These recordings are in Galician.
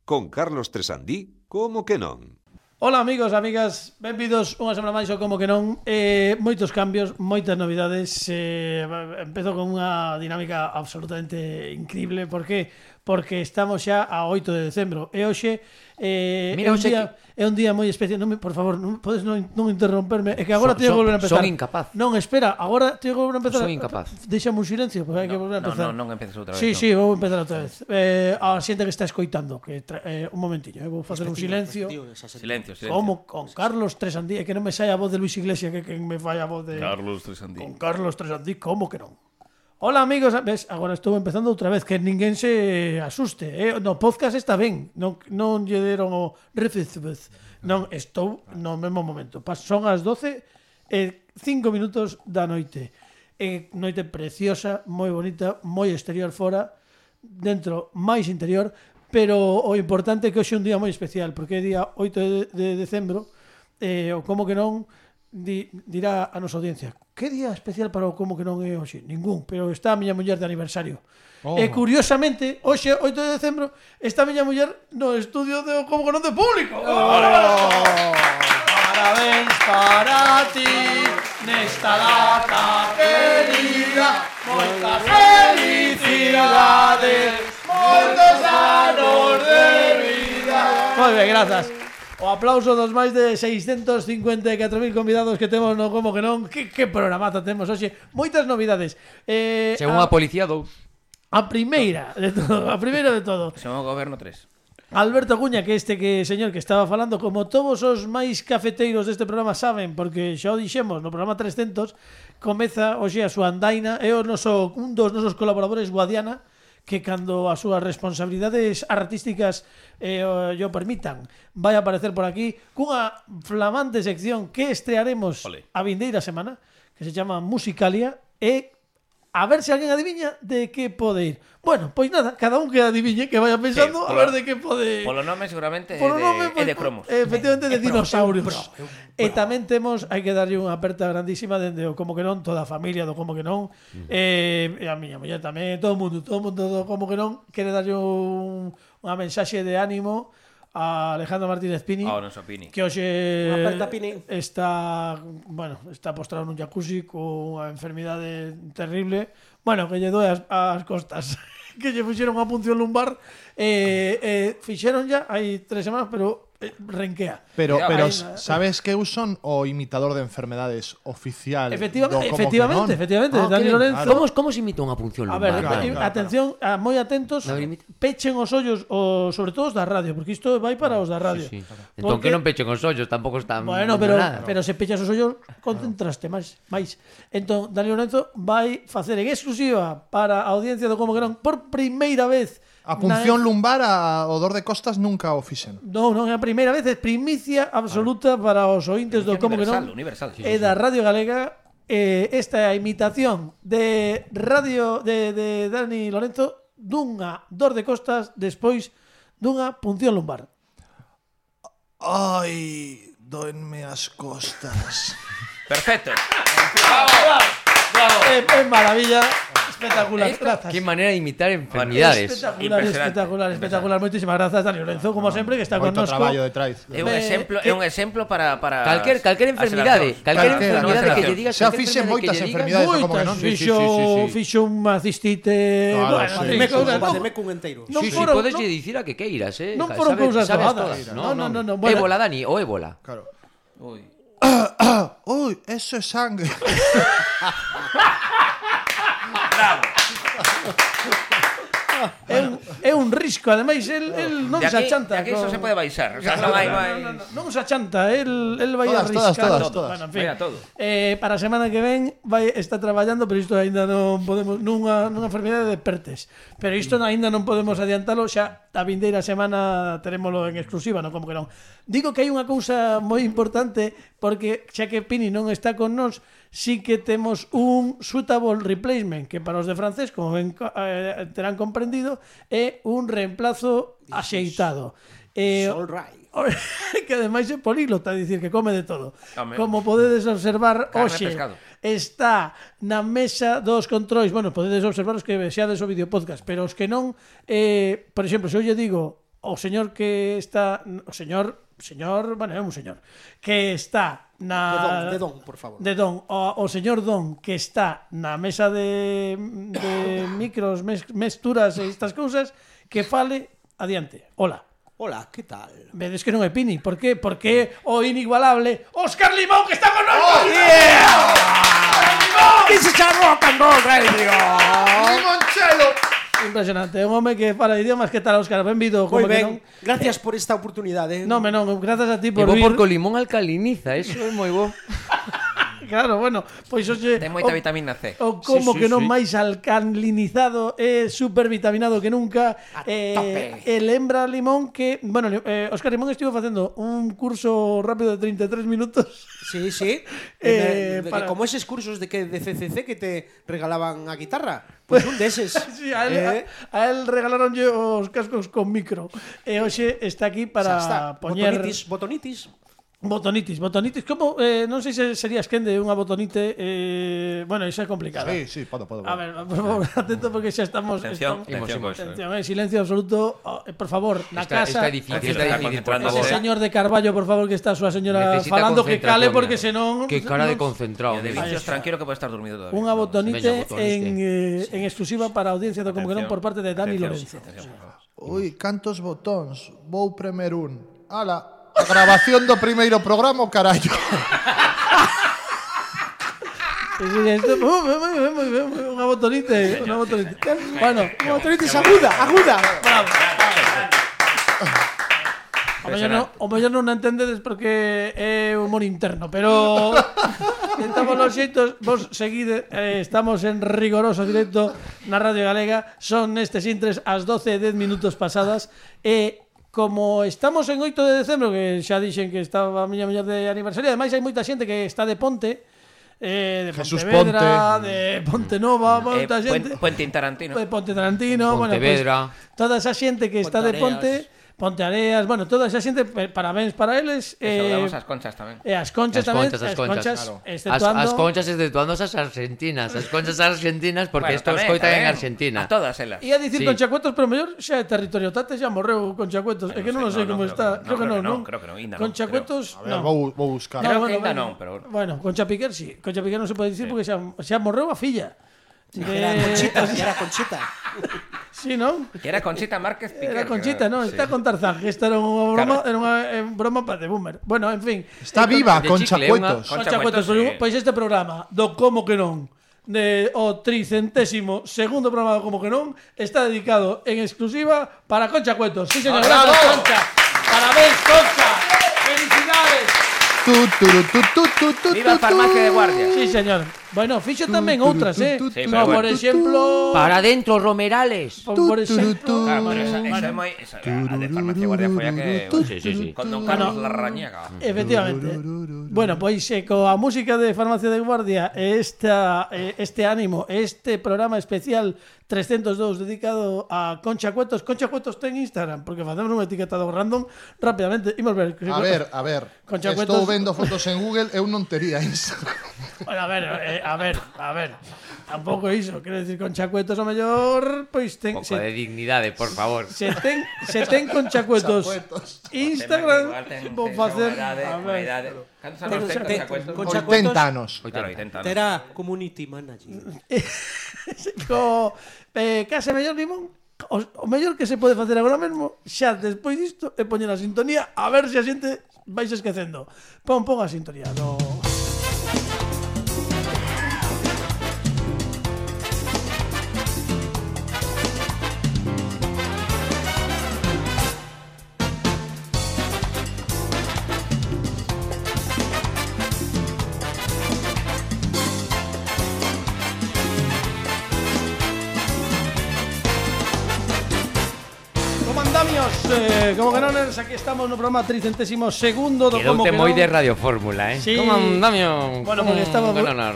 Con Carlos Tresandí, como que non? Ola amigos, amigas, benvidos unha semana máis ao Como que non. Moitos cambios, moitas novidades. Empezo con unha dinámica absolutamente increíble. Por que? Porque estamos xa a 8 de decembro e hoxe é un día moi especial. Por favor, podes non interromperme. É que agora teño que volver a empezar. Son incapaz. Non, espera, agora teño que volver a empezar. Son incapaz. Deixame un silencio, porque hai que volver a empezar. Non empeces outra vez. Sí, vou empezar outra vez. A xente que está escoitando, que un momentiño, vou facer un silencio. Silencio. Como con Carlos Tresandí, é que non me sai a voz de Luis Iglesias, que me fai a voz de Carlos Tresandí. Con Carlos Tresandí, como que non? Hola amigos, ves, agora estou empezando outra vez, que ninguén se asuste, no podcast está ben, non lle deron o refizbez. Non, estou no mesmo momento. Son as 12 e 5 minutos da noite. Noite preciosa, moi bonita, moi exterior fora, dentro máis interior, pero o importante é que hoxe é un día moi especial, porque é día 8 de decembro, o como que non dirá a nosa audiencia, que día especial para o como que non é hoxe? Ningún, pero está a miña muller de aniversario. E curiosamente, hoxe, 8 de decembro, está a miña muller no estudio de como que non de público. Parabéns para ti nesta data querida, moitas felicidades, moitos anos de vida. Moi ben, grazas. O aplauso dos máis de 654.000 convidados que temos no Como que non. Que programazo temos hoxe. Moitas novidades. Según a policía, 2. A primeira de todo. Según o goberno, 3. Alberto Acuña, que señor que estaba falando, como todos os máis cafeteiros deste programa saben, porque xa o dixemos no programa 300, comeza hoxe a súa andaina, é un dos nosos colaboradores, Guadiana, que cando as súas responsabilidades artísticas yo permitan, vai a aparecer por aquí cunha flamante sección que estrearemos a vindeira semana, que se chama Musicalia, e a ver se alguén adiviña de que pode ir. Bueno, pois nada, cada un que adiviñe, que vaya pensando a ver de que pode... Polo nome seguramente é de cromos. Efectivamente, de dinosaurios. E tamén temos, hai que darlle unha aperta grandísima dende o Como que non, toda a familia do Como que non, e a miña muller tamén, todo o mundo do Como que non, quere darlle unha mensaxe de ánimo a Alejandro Martínez Pini, que hoxe está postrado nun jacuzzi con unha enfermidade terrible, bueno, que lle doe as costas, que lle fixeron unha punción lumbar, fixeron ya hai 3 semanas, pero renquea. Pero sabes que eu son o imitador de enfermedades oficial. Efectivamente, Dani Lorenzo. Como se imita unha punción lumbar? A ver, atención, moi atentos, pechen os ollos, sobre todo os da radio, porque isto vai para os da radio. Sí. Entón que non pechen os ollos, tampouco están... Bueno, pero se pechas os ollos, concentraste máis. Entón, Dani Lorenzo vai facer en exclusiva para a audiencia do Como que non, por primeira vez... A punción lumbar, o dor de costas nunca o fixen. Non é a primeira vez, é primicia absoluta para os ointes do Como que non. E da Radio Galega, esta imitación de radio de Dani Lorenzo dunha dor de costas despois dunha punción lumbar. Ai, doenme as costas. Perfecto. Bravo. É maravilla. Espectacular, grazas. Que maneira de imitar enfermidades. Espectacular. Moitísimas grazas, Dani Lorenzo, como sempre, que está connosco. Moito traballo detrás. É un exemplo para calquer enfermidade, que lle digas. Xa fixen moitas enfermidades, como que non. Fixo unha cistite, faceme cun enteiro. Si, podes dicir a que queiras, non foron cousas doadas. Non. Ébola, Dani, o ébola. Claro. Ui, eso é sangue. Bravo. É un risco, ademais el non se achanta. Aquí iso se pode baixar, o sea, non se achanta, el vai a riscar todas. Bueno, en fin. Para a semana que ven está traballando, pero isto aínda non podemos nunha enfermidade de Pertes. Pero isto aínda non podemos adiantalo, xa a vindeira semana terémolo en exclusiva, non como que non. Digo que hai unha cousa moi importante, porque xa que Pini non está con nós, sí que temos un suitable replacement, que para os de francés, como ben terán comprendido, é un reemplazo axeitado. All right. Que ademais é políglota, é dicir, que come de todo. Como podedes observar, hoxe está na mesa dos controis. Bueno, podedes observar os que vexades o videopodcast, pero os que non, por exemplo, se eu lle digo o señor que está bueno, é un señor que está na De don, por favor. de don, o señor Don que está na mesa de micros, mesturas e estas cousas, que fale adiante. Hola. Hola, ¿qué tal? Vedes que non é Pini. Por qué? Porque o inigualable Óscar Limón que está con nós. ¡Oh, yeah! This is a rock and roll radio. ¡Limonchelo! Impresionante. Un home que fala idiomas. Que tal, Óscar? Benvido. Muy Como que ben. Gracias por esta oportunidade. non, gracias a ti por E bo vir. porque o limón alcaliniza, eso é moi bo. Claro, bueno, pois hoxe Ten moita vitamina C. O como Sí, que non sí. máis alcalinizado e supervitaminado que nunca. tope. E lembra Limón que, bueno, Óscar Limón estivo facendo un curso rápido de 33 minutos. Sí, sí. Como eses cursos de CCC que te regalaban a guitarra. Pues un deses. Sí, a él regalaronlle os cascos con micro. E hoxe está aquí para poñer Botonitis. Botonitis. Como non sei se serías quen de unha botonite, bueno, iso é complicado. Sí, podo. A ver, por favor, atento porque xa estamos. Atención, Silencio absoluto. Por favor, na casa. Está difícil, por Ese favor. señor de Carballo, por favor, que está a súa señora Necesita falando, que cale concentración, porque mira. senón. Que cara de concentrado. De vicios tranquilo que puede estar dormido todavía. Unha botonite Veña, botonite. en exclusiva para a audiencia do Como que non por parte de Dani Lorenzo. Ui, cantos botóns. Vou premer un. Ala, a grabación do primeiro programa, o carallo. Unha botonite. Bueno, Unha botonitis aguda. bravo. O mellor non a entendedes porque é humor interno, pero tentamos los xeitos, vos seguide, estamos en rigoroso directo na Radio Galega, son nestes intres as 12:10 pasadas e como estamos en 8 de decembro, que xa dixen que estaba a miña mellor de aniversario, ademais hai moita xente que está de Ponte, de Jesús Pontevedra, de Ponte Nova, moita xente. Puente Tarantino. De Ponte Tarantino, Pontevedra. bueno, toda esa xente que está de Ponte, Ponte Areas, bueno, toda esa xente, parabéns para eles. Saludamos as conchas tamén. E as conchas As tamén, conchas, as claro. exceptuando As conchas exceptuando as argentinas. As conchas argentinas porque Bueno, isto tamén, escoitan en tamén. Argentina. A todas elas. Ia dicir Sí. Conchacuetos, pero mellor xa é territorio Tate, xa morreu Conchacuetos. É que non sei como está. Creo que non. Creo que non, ainda non, Conchacuetos, A ver, non. vou buscar. Creo que ainda non, pero Bueno, Concha Piquer sí. Concha Piquer non se pode dicir porque xa morreu a filla. Era Conchita. Sí, non? que era Conchita Márquez Piquer. Era Conchita, non? Está con Tarzán, que esta era unha broma, era unha broma para de boomer. Bueno, en fin. Está viva, de Concha chicle, Cuetos. Concha Cuetos, Cuetos, sí. pois este programa do Como que non de o 300º programa do Como que non está dedicado en exclusiva para Concha Cuetos. Sí, señor, ¡Bravo! gracias, Concha. Parabéns, Concha. Felicidades. Viva a farmacia de guardia. Sí, señor. Bueno, fixo tamén outras, Sí, No, pero por bueno. exemplo, Para dentro, Romerales. por exemplo, Claro, pero esa é moi... A de farmacia de guardia foi a que... Sí. Con Don Carlos Larrañaga. efectivamente. Bueno, pois coa música de Farmacia de Guardia este ánimo, este programa especial 302 dedicado a Concha Cuetos. Concha Cuetos ten Instagram, porque facemos un etiquetado random rápidamente. Imos ver. A ver. Concha Estou Cuetos. vendo fotos en Google, eu non tería Instagram. Bueno, a ver. Tampouco iso, quero decir, Concha Cuetos o mellor, pois ten Un pouco de dignidade, por favor. se ten Concha Cuetos Instagram, vou facer, a ver. Cantos anos ten Concha Cuetos? Concha 80 anos. Claro, 80 anos. Era community manager. Case mellor Limón. O mellor que se pode facer agora mesmo, xa despois disto, é poñer a sintonía, a ver se a xente vais esquecendo. Pon a sintonía do... Comandamios, como que non, aquí estamos no programa 302º do Como Quedoute que moi non. de Radio Fórmula, Sí. Como andamio. Bueno,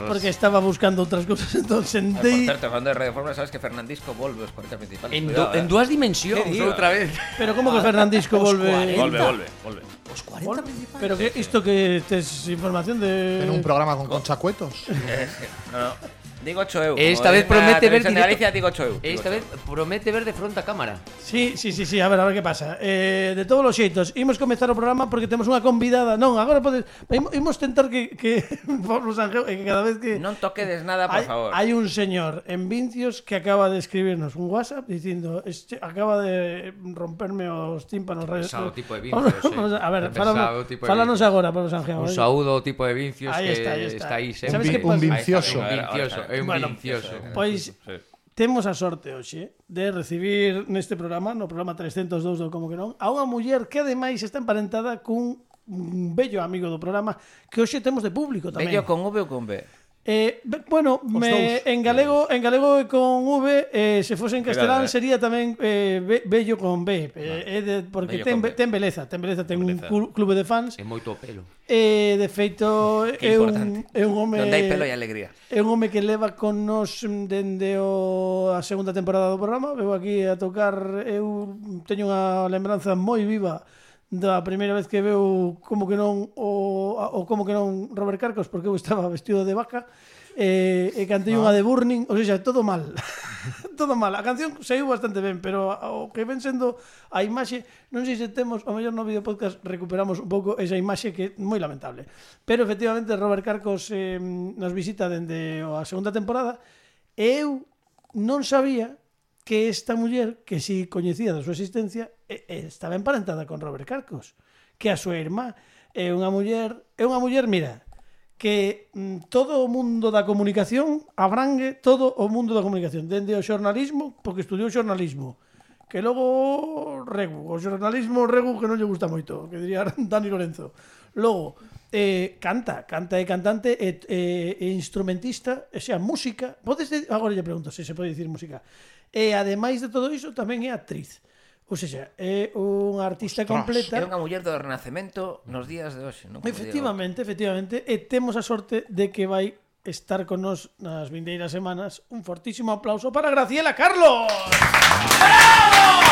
porque estaba buscando outras cousas, entón Por sentei. certo, hablando de Radio Fórmula, sabes que Fernandisco volve aos 40 principales. En dúas dimensións, ¿Qué digo? outra vez. Pero como que Fernandisco volve? Volve. Os 40 principales. Pero que isto que tes información de En un programa con Concha Cuetos. No. Digo 8 euros. Esta vez promete ver de Galicia, digo 8 euros. Esta vez promete ver de fronte a cámara. Sí, a ver que pasa. De todos os xeitos, imos comezar o programa porque temos unha convidada. Non, agora podes imos tentar que Pablo Sanjeo, que cada vez que non toquedes nada, por favor. Hai un señor en Vincios que acaba de escribirnos un WhatsApp dicindo, acaba de romperme os tímpanos. Pesado tipo de Vincios. A ver, fálanos agora, Pablo Sanjeo. Un saúdo ao tipo de Vincios que está aí sempre. Un vincioso. É un vincioso. Pois temos a sorte hoxe de recibir neste programa, no programa 302 do Como que non, a unha muller que ademais está emparentada cun bello amigo do programa que hoxe temos de público tamén. Bello con V ou con B? Bueno, en galego e con V, se fose en castelán sería tamén bello con B, porque ten beleza, ten un clube de fans. É moito pelo. De feito é un home donde hai pelo e alegría. É un home que leva con nos dende a segunda temporada do programa. Veu aquí a tocar, eu teño unha lembranza moi viva da primeira vez que veu Como que non o Como que non Robert Carcos, porque eu estaba vestido de vaca e cantei unha de Burning, ou seja, todo mal. Todo mal. A canción saiu bastante ben, pero o que ven sendo a imaxe, non sei se temos, ao mellor no vídeo podcast recuperamos un pouco esa imaxe que é moi lamentable. Pero efectivamente Robert Carcos nos visita dende a segunda temporada e eu non sabía que esta muller, que si coñecía da súa existencia, estaba emparentada con Robert Carcos, que a súa irmá é unha muller, mira, que todo o mundo da comunicación abrangue todo o mundo da comunicación, dende o xornalismo, porque estudiou xornalismo, que logo o xornalismo que non lle gusta moito, que diría Dani Lorenzo. Logo, canta e cantante e instrumentista, e sea, música, agora lle pregunto se pode dicir música. E ademais de todo iso tamén é actriz. Ou seja, é unha artista completa. É unha muller do Renacemento nos días de hoxe, non? Efectivamente, e temos a sorte de que vai estar con nos nas vindeiras semanas. Un fortísimo aplauso para Graciela Carlos. ¡Bravo!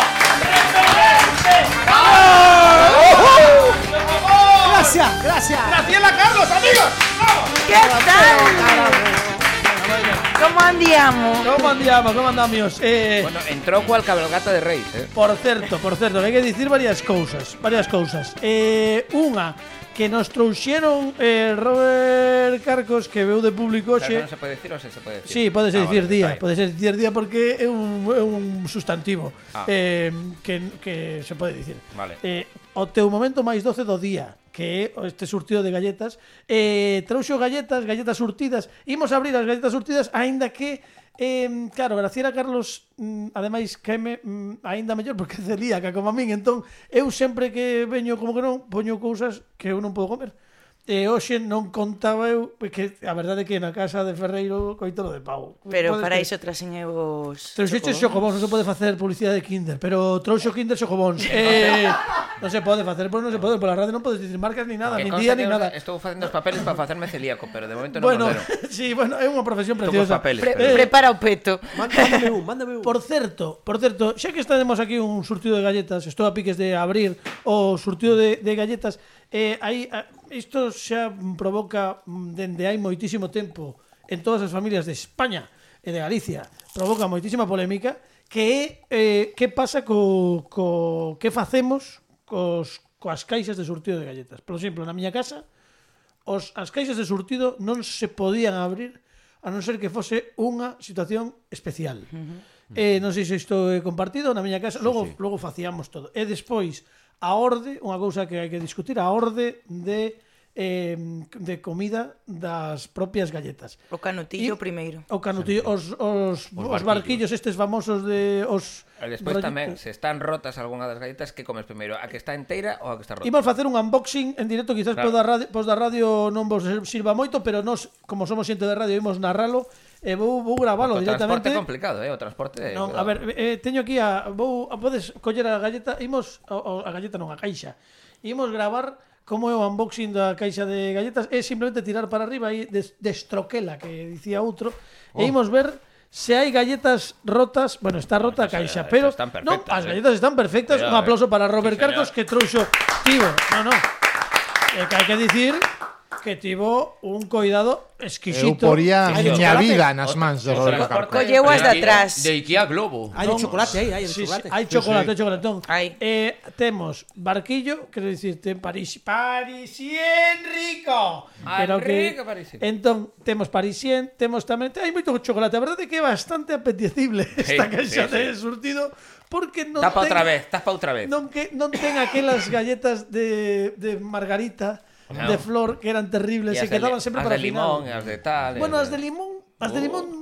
Gracias. Graciela Carlos, amigos. ¡Bravo! ¿Qué tal? ¿Cómo andiamo? ¿Cómo andamos? Bueno, entrou cual cabalgata de reis, Por certo, hai que dicir varias cousas. Unha que nos trouxeron Robert Carcos, que veu de público hoxe. Non se pode dicir ou se pode dicir? Sí, pode ser dicir día, porque é un sustantivo que se pode dicir. Vale. O teu momento máis doce do día, que é este surtido de galletas, trouxo galletas surtidas. Imos abrir as galletas surtidas, aínda que claro, Graciela Carlos ademais caeme aínda mellor porque é celíaca como a min, entón eu sempre que veño Como que non poño cousas que eu non podo comer. E hoxe non contaba eu, porque a verdade é que na casa de Ferreiro coitolo de pau. Pero para iso traxen eu os Trouxeches xocobóns, non se pode facer publicidade de Kinder, pero trouxo Kinder xocobóns. Non se pode facer, pois non se pode, pola radio non podes dicir marcas ni nada, ni día ni nada. Estou facendo os papeles para facerme celíaco, pero de momento non me deron. Sí, é unha profesión preciosa. Prepara o peto. Mándame un. Por certo, xa que estaremos aquí un surtido de galletas, estou a piques de abrir o surtido de galletas, isto xa provoca dende hai moitísimo tempo en todas as familias de España e de Galicia, provoca moitísima polémica, que é que pasa que facemos coas caixas de surtido de galletas. Por exemplo, na miña casa as caixas de surtido non se podían abrir a non ser que fose unha situación especial. Non sei se isto é compartido na miña casa, logo facíamos todo. E despois a orde, unha cousa que hai que discutir, a orde de comida das propias galletas. O canutillo primeiro. O canutillo, os barquillos estes famosos de os. E despois tamén, se están rotas algunha das galletas, que comes primeiro? A que está inteira ou a que está rota? Imos facer un unboxing en directo, quizás claro. Pos da radio non vos sirva moito, pero nós, como somos xente de radio, imos narralo. Vou gravalo directamente. O transporte é complicado, o transporte. Non, a ver, teño aquí podes coller a galleta, a galleta non, a caixa. Imos gravar como é o unboxing da caixa de galletas, é simplemente tirar para arriba e destroquela, que dicía outro, e imos ver se hai galletas rotas. Bueno, está rota a caixa, pero non, as galletas están perfectas. Un aplauso para Robert Carcos, que trouxo tivo. Que hai que dicir que tivo un coidado Eu exquisito. poría Sí, miña chocolate. vida nas mans de Roberto Carcos. Colleu as de atrás. De Ikea Globo. Hai de chocolate aí, hai de Sí, sí, chocolate. hai chocolate, chocolatón. Hai. Temos barquillo, quero dicir, ten parisien rico. Pero que rico parisien. entón temos parisien, temos tamén hai moito chocolate. A verdade é que é bastante apetecible esta caixa de surtido porque non Tapa ten, outra vez. non ten aquelas galletas de margarita de flor que eran terribles E e as de quedaban sempre para o de final. limón, e as de tal. Bueno, as de limón,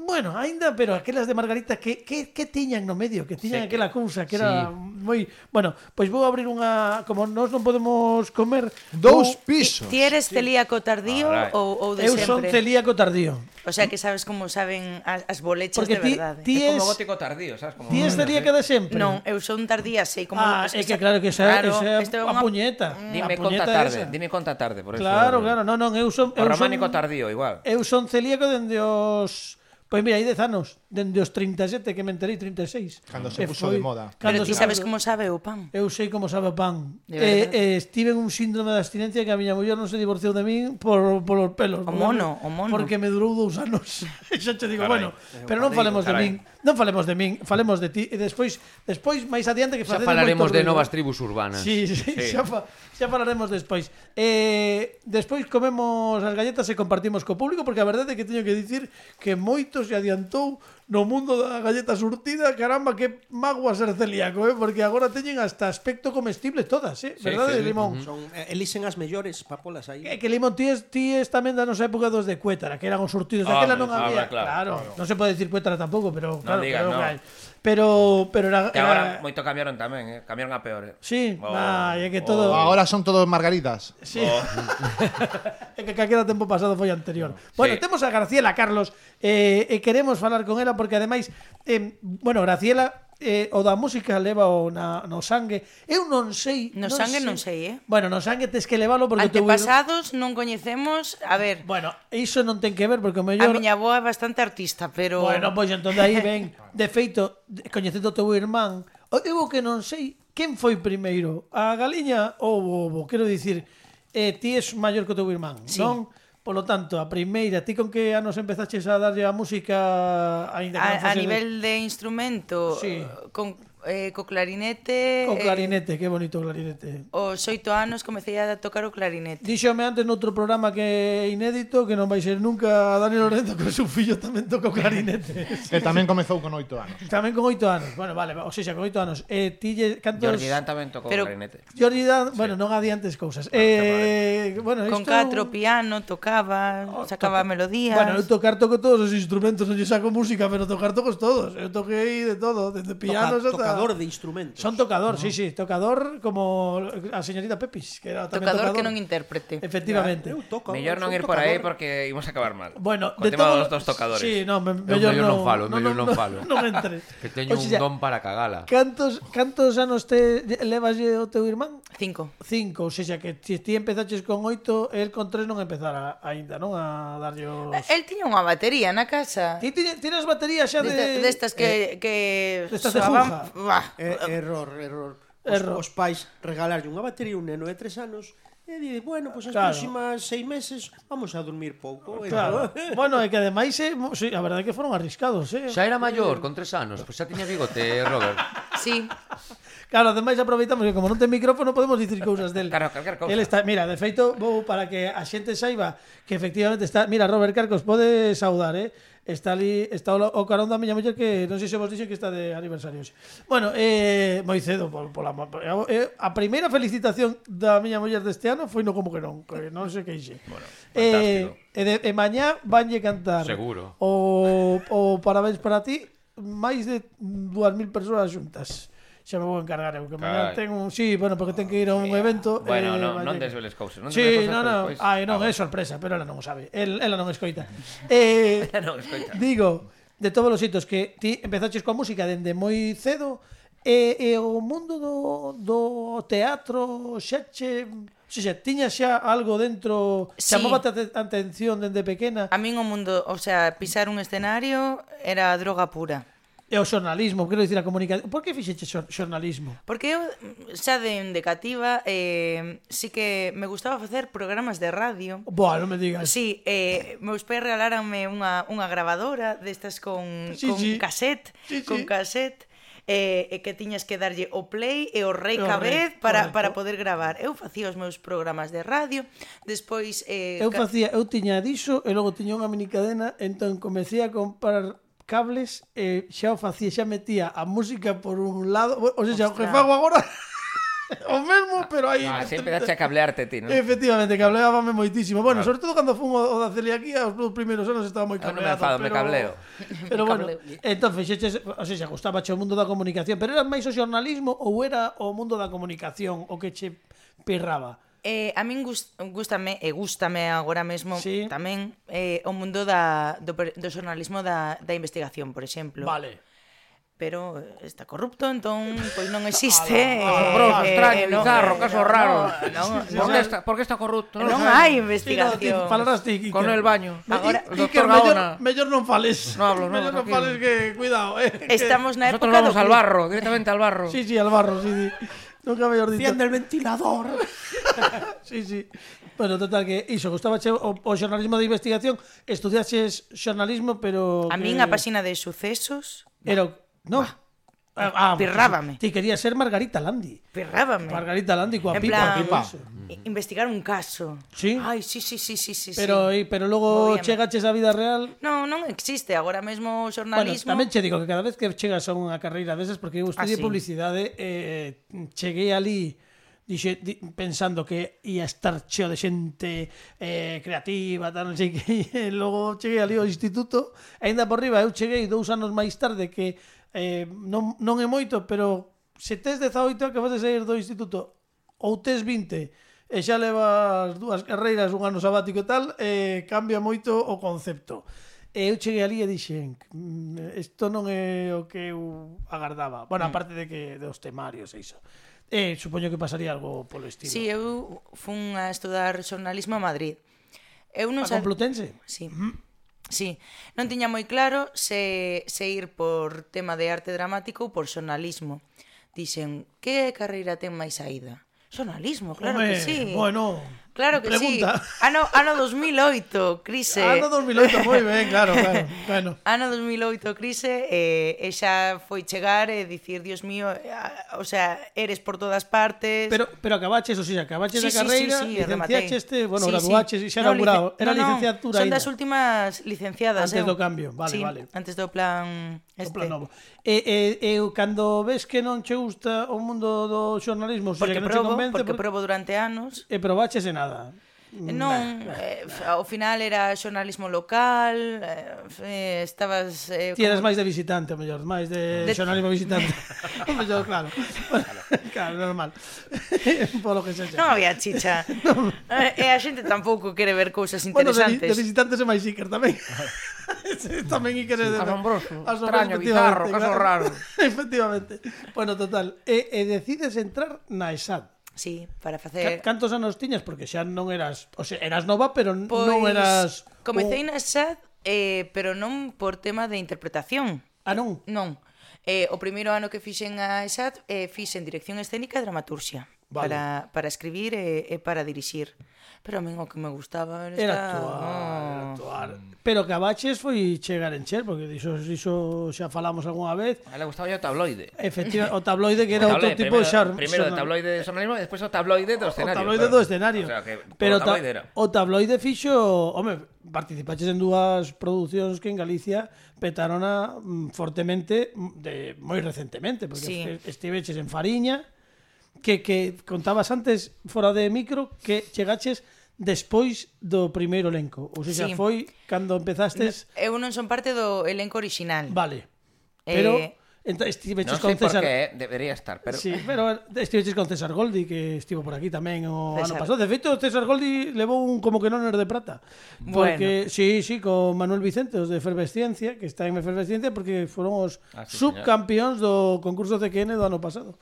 bueno, aínda, pero aquelas de margarita que tiñan no medio, que tiñan aquela cousa que era moi... Bueno, pois vou abrir unha... Como nós non podemos comer... 2 pisos. Ti eres celíaco tardío Alright. ou de Eu son sempre? celíaco tardío. O sea, que sabes como saben as bolechas Porque de verdade. ti É como es... gótico tardío, sabes? Como... Ti es celíaca de sempre. Non, eu son tardía, sei como... Ah, é que claro que esa isto é a unha- puñeta. Dime A puñeta esa. dime conta tarde, por eso. Claro, non, eu son... O románico tardío, igual. Eu son celíaco dende os... Pois mira, hai 10 anos, dende os 37 que me enterei, 36. Cando se E puso de moda. Pero ti sabes como como sabe o pan. Eu sei como sabe o pan. De verdade. Estive en un síndrome de abstinencia que a miña muller non se divorciou de min por os pelos. O mono. Porque me durou 2 anos. E xa te digo, Carai. bueno, pero non falemos de carai. min. Non falemos de min, falemos de ti. E despois máis adiante que Xa facedes falaremos moito de ruido. novas tribus urbanas. Sí, xa falaremos despois. Despois comemos as galletas e compartimos co público porque a verdade é que teño que dicir que moito se adiantou no mundo da galleta surtida. Caramba, que magua ser celíaco, porque agora teñen hasta aspecto comestible todas, verdade, Limón? Son, elixen as mellores para polas aí. Que Limón, ti es tamén da nosa época dos de Cuétara, que eran os surtidos. Daquela non había, claro. non se pode dicir Cuétara tampouco, pero claro, digas, pero, no. pero era, Que agora moito cambiaron tamén, cambiaron a peor. Sí, Oh. é que todo Agora son todos margaritas. Sí. É que calquera tempo pasado foi anterior. Bueno, Sí. temos a Graciela Carlos e queremos falar con ela porque ademais bueno, Graciela o da música leva no sangue. Eu non sei, No sangue non sei, Bueno, no sangue tes que levalo porque o teu Antepasados non coñecemos... A ver, Bueno, iso non ten que ver porque o a mellor miña avó é bastante artista, pero... Bueno, pois entón de aí ven. De feito, coñecendo o teu irmán, eu o que non sei quen foi primeiro, a galiña ou o ovo. Quero dicir, ti és maior que o teu irmán, Sí. non? Polo tanto, a primeira, ti con que anos empezaches a darlle a música aínda que non A fose nivel de instrumento, Sí. co clarinete... o clarinete, que bonito o clarinete. Os 8 anos comecei a tocar o clarinete. Díxome antes noutro programa que é inédito, que non vai ser nunca a Dani Lorenzo, que o seu fillo tamén toca o clarinete. Que tamén comezou con 8 anos. Tamén con 8 anos. Bueno, vale, ou seja, con 8 anos. Cantos... Jordi Dan tamén tocou Pero- clarinete. Jordi Dan, bueno, non adiantes cousas. Bueno, Con isto... 4 piano, tocaba, sacaba melodías... Bueno, eu tocar toco todos os instrumentos, non lle saco música, pero tocar tocos todos. Eu toquei de todo, desde pianos ata... Tocador de instrumentos. Son tocador, sí, tocador como a señorita Pepis, que era tamén tocador tocador. que non intérprete. Efectivamente. Eu toco, Mellor non son ir por aí tocador. porque imos acabar mal. Bueno, Co tema dos dos tocadores. Sí, no, mellor non falo, mellor non falo. Non entres. Que teño O sea, un don para cagala. Cantos anos levas o teu irmán? 5. 5, ou seja, que se ti empezaches con 8, el con 3 non empezara aínda, non? A darlle os... El tiña unha batería na casa. Ti tienes batería xa de... Destas que destas de soaban- Juja. Buah. Error. Os pais regalarlle unha batería a un neno de 3 anos e di, bueno, pois as Claro. próximas 6 meses vamos a dormir pouco. Claro. Bueno, é que ademais, sí, a verdade é que foron arriscados, Xa era maior, con 3 anos. Pois xa tiña bigote, Robert. Sí. Claro, ademais aproveitamos que como non ten micrófono podemos dicir cousas del. Claro, calquer cousa. Él está, mira, de feito, vou para que a xente saiba que efectivamente está, mira, Robert Carcos pode saudar, Está ali, está o carón da miña muller que non sei se vos dixen que está de aniversario hoxe. Bueno, moi cedo a primeira felicitación da miña muller deste ano foi no como que non se queixe. Bueno, fantástico. E mañá vanlle cantar Seguro. o parabéns para ti máis de 2.000 persoas xuntas. Xa me vou encargar eu, que mañá ten un... Sí, bueno, porque ten que ir a un evento... Bueno, non desveles cousas. Non Sí, desveles non. cousas, Ai, non, é pois. sorpresa, pero ela non o sabe. Ela non escoita. Non, escoita. Digo, de todos os hitos que ti empezaches coa música dende moi cedo e o mundo do teatro xa tiña xa algo dentro, Sí. chamóbate a atención dende pequena. A min o mundo, o sea, pisar un escenario era droga pura. E o xornalismo, quero dicir a comunicación. Por que fixeche xornalismo? Porque eu, xa de cativa, sí que me gustaba facer programas de radio. Boa, non me digas. Sí, meus pais regaláranme unha grabadora destas con cassette, con cassette, que tiñas que darlle o play e o rec a vez para poder gravar. Eu facía os meus programas de radio, despois... Eu tiña diso e logo tiña unha minicadena, entón comecei a comprar cables e xa o facía, xa metía a música por un lado, o sea, o que fago agora o mesmo, pero aí sempre dache a cablearte ti, non? Efectivamente, cableábame moitísimo. Bueno, sobre todo cando fun o da celiaquía, os primeiros anos estaba moi cableado. Non me enfado, me cableo. Pero bueno, entón fixeches, o sea, gustaba o mundo da comunicación, pero era máis o xornalismo ou era o mundo da comunicación o que che pirraba? A min gústame agora mesmo tamén o mundo do xornalismo da investigación, por exemplo. Vale. Pero está corrupto, entón pois non existe. Asombroso, extraño, bizarro, caso raro. Por que está corrupto? Non hai investigación. Falarás ti, con el baño. Agora, Iker, mellor non fales. Non hablo, mellor non fales que cuidado, Estamos na época nosotros vamos al barro, directamente al barro. Sí, al barro, sí. Nunca mellor dito. Enciende el ventilador. Sí. Bueno, total, que iso, gustaba o xornalismo de investigación, estudiaches xornalismo, pero... A min a páxina de sucesos... Era... No. Pirrábame. Ti quería ser Margarita Landi. Pirrábame. Margarita Landi coa en pipa. Investigar un caso. Sí? Ai, sí. Pero logo chegaches á vida real... Non existe. Agora mesmo o xornalismo... Bueno, tamén che digo que cada vez que chegas a unha carreira desas, porque eu estudiei publicidade, cheguei ali... pensando que ia estar cheo de xente creativa, tal, non sei que, logo cheguei ali ao instituto, aínda por riba eu cheguei 2 anos máis tarde, que non é moito, pero se tes 18 que vas de sair do instituto ou tes 20 e xa levas 2 carreiras, un ano sabático e tal, cambia moito o concepto. E eu cheguei ali e dixen, isto non é o que eu agardaba. Bueno, aparte de que dos temarios e iso. Supoño que pasaría algo polo estilo. Sí, eu fun a estudar xornalismo a Madrid. A Complutense? Sí. Sí, non tiña moi claro se ir por tema de arte dramático ou por xornalismo. Dixen, que carreira ten máis saída? Xornalismo, claro que sí. Bueno, claro que pregunta. Sí. Ano 2008, crise. Ano 2008, moi ben, claro. Bueno. Ano 2008, crise, e xa foi chegar e dicir, Dios mío, o sea, eres por todas partes. Pero acabaches, a carreira, licenciaches, graduaches e xa inaugurado. Era licenciatura son das últimas licenciadas. Antes do cambio, vale. Antes do plan o plan novo. E cando ves que non che gusta o mundo do xornalismo, porque probo durante anos. E probaches e nada. Non, ao final era xornalismo local, estabas... Ti eras máis de visitante, mellor, máis de xornalismo visitante. Mellor, claro. Claro, normal. Polo que sexa. Non había chicha. E a xente tampouco quere ver cousas interesantes. Bueno, de visitantes é máis Iker tamén. Tamén Iker é de... Asombroso, extraño, bizarro, caso raro. Efectivamente. Bueno, total. E decides entrar na ESAD. Sí, para facer... Cantos anos tiñas? Porque xa non eras... O sea, eras nova, pero non eras... Comecei na ESAD, pero non por tema de interpretación. Ah, non? Non. O primeiro ano que fixen a ESAD, fixen dirección escénica e dramaturxia. Vale. Para escribir e para dirixir. Pero a min o que me gustaba era actuar. Pero que abaches foi chegar en Cher, porque diso xa falamos algunha vez. A le gustaba o tabloide. Efectivamente, o tabloide que era outro tipo de xar. Primeiro o tabloide de xornalismo e despois o tabloide do escenario. O tabloide do escenario. O sea, que pero o tabloide fixo, participaches en 2 producións que en Galicia petarona fortemente moi recentemente, porque estiveches en Fariña, que contabas antes fora de micro que chegaches despois do primeiro elenco. Ou seja, foi cando empezastes... Eu non son parte do elenco orixinal. Vale. Pero estiveches con César... Non sei por que debería estar, pero... Sí, pero estiveches con César Goldi, que estivo por aquí tamén o ano pasado. De feito, César Goldi levou un como que non er de prata. Porque, sí, con Manuel Vicente, os de Efervesciencia, que está en Efervesciencia, porque foron os subcampións do concurso CQN do ano pasado.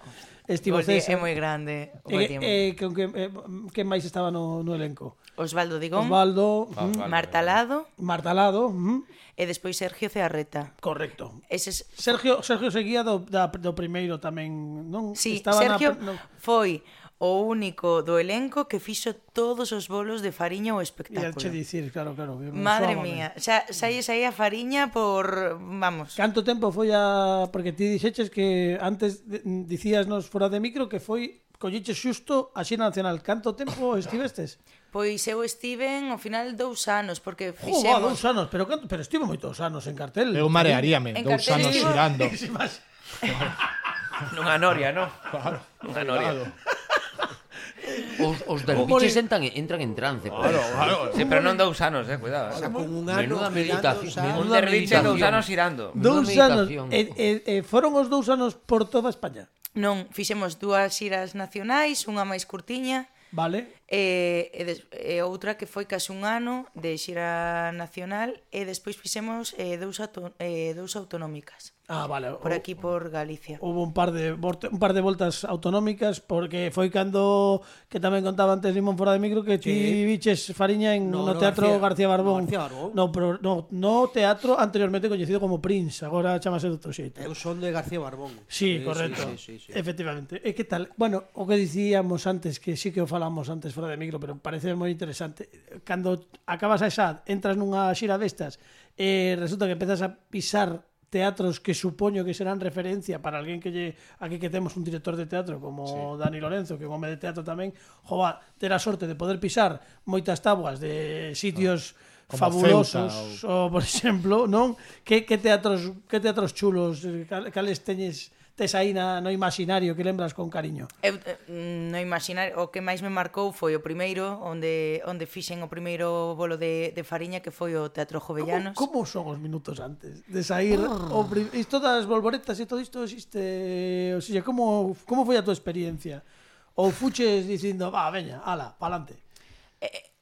estivo Goli César. é moi grande. Que máis estaba no elenco? Osvaldo Digón, Osvaldo, Marta Lado Martalado, e despois Sergio Cearreta. correcto. Eses Sergio seguía do primeiro tamén, non? Sí, Estaba Sergio no... foi o único do elenco que fixo todos os bolos de fariña ao Ia espectáculo. che dicir, claro. Madre mía, xa saíes aí a fariña por, vamos. Canto tempo foi porque ti dixeches que antes dicíasnos fora de micro que foi colliches xusto a xira nacional. Canto tempo estivestes? Pois eu estiven ao final 2 anos, porque Joder, fixemos... 2 anos, pero estivo moitos anos en cartel. Eu marearíame, En 2 cartel anos estivo- xirando. Nunha noria, non? Claro, Nunha noria. Os derviches entran en trance. Claro. Sí, pero non 2 anos, cuidado. Con un ano Menuda meditación, Un menuda derviche 2 meditación. anos irando. 2 anos. meditación. Foron os 2 anos por toda España. Non, fixemos 2 xiras nacionais, unha máis curtiña, Vale. e outra que foi case un ano de xira nacional, e despois fixemos 2 autonómicas. Vale. Por aquí, por Galicia. Hubo un par de voltas autonómicas porque foi cando que tamén contaba antes Limón fora de micro que ti viches Fariña no Teatro García Barbón. No teatro anteriormente coñecido como Prince, agora chamase de outro xeito. Eu son de García Barbón. Sí, correcto. Sí. Efectivamente. E que tal? Bueno, o que dicíamos antes, que sí que o falamos antes fora de micro, pero parece moi interesante. Cando acabas a esa, entras nunha xira destas e resulta que empezas a pisar teatros que supoño que serán referencia para alguén aquí que temos un director de teatro como Dani Lorenzo, que é un home de teatro tamén, jova, ter a sorte de poder pisar moitas tabuas de sitios como fabulosos, ou por exemplo, non? Que teatros chulos, cales tes aí no imaginario que lembras con cariño? Eu, no imaginar, o que máis me marcou foi o primeiro, onde fixen o primeiro bolo de fariña, que foi o Teatro Jovellanos. Como son os minutos antes de sair? Isto das bolboretas e todo isto existe... O sea, como foi a tua experiencia? Ou fuches dicindo, veña, ala, pa'lante?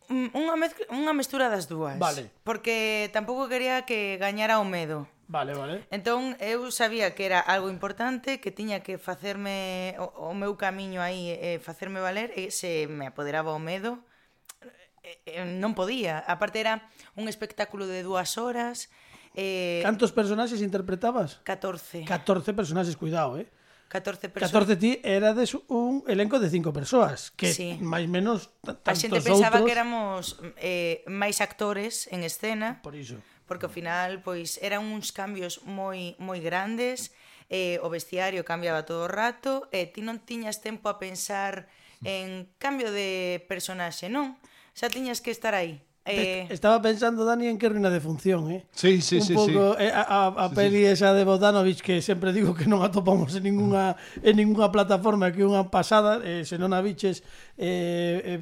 Unha mestura das dúas. Vale. Porque tampouco quería que gañara o medo. Vale. Entón, eu sabía que era algo importante, que tiña que facerme o meu camiño aí, facerme valer, e se me apoderaba o medo, non podía. A parte era un espectáculo de 2 horas. Cantos personaxes interpretabas? 14. 14 personaxes, cuidado, 14 persoas. 14 ti erades un elenco de 5 persoas, que Sí. máis menos A xente pensaba outros, que éramos máis actores en escena, por iso. porque ao final pois eran uns cambios moi grandes, o vestiario cambiaba todo o rato, e ti non tiñas tempo a pensar en cambio de personaxe, non? Xa tiñas que estar aí. Estaba pensando, Dani, en que ruina de función, Sí. Un pouco a peli esa de Bogdanovich, que sempre digo que non atopamos en ninguna plataforma, que unha pasada, se non a biches,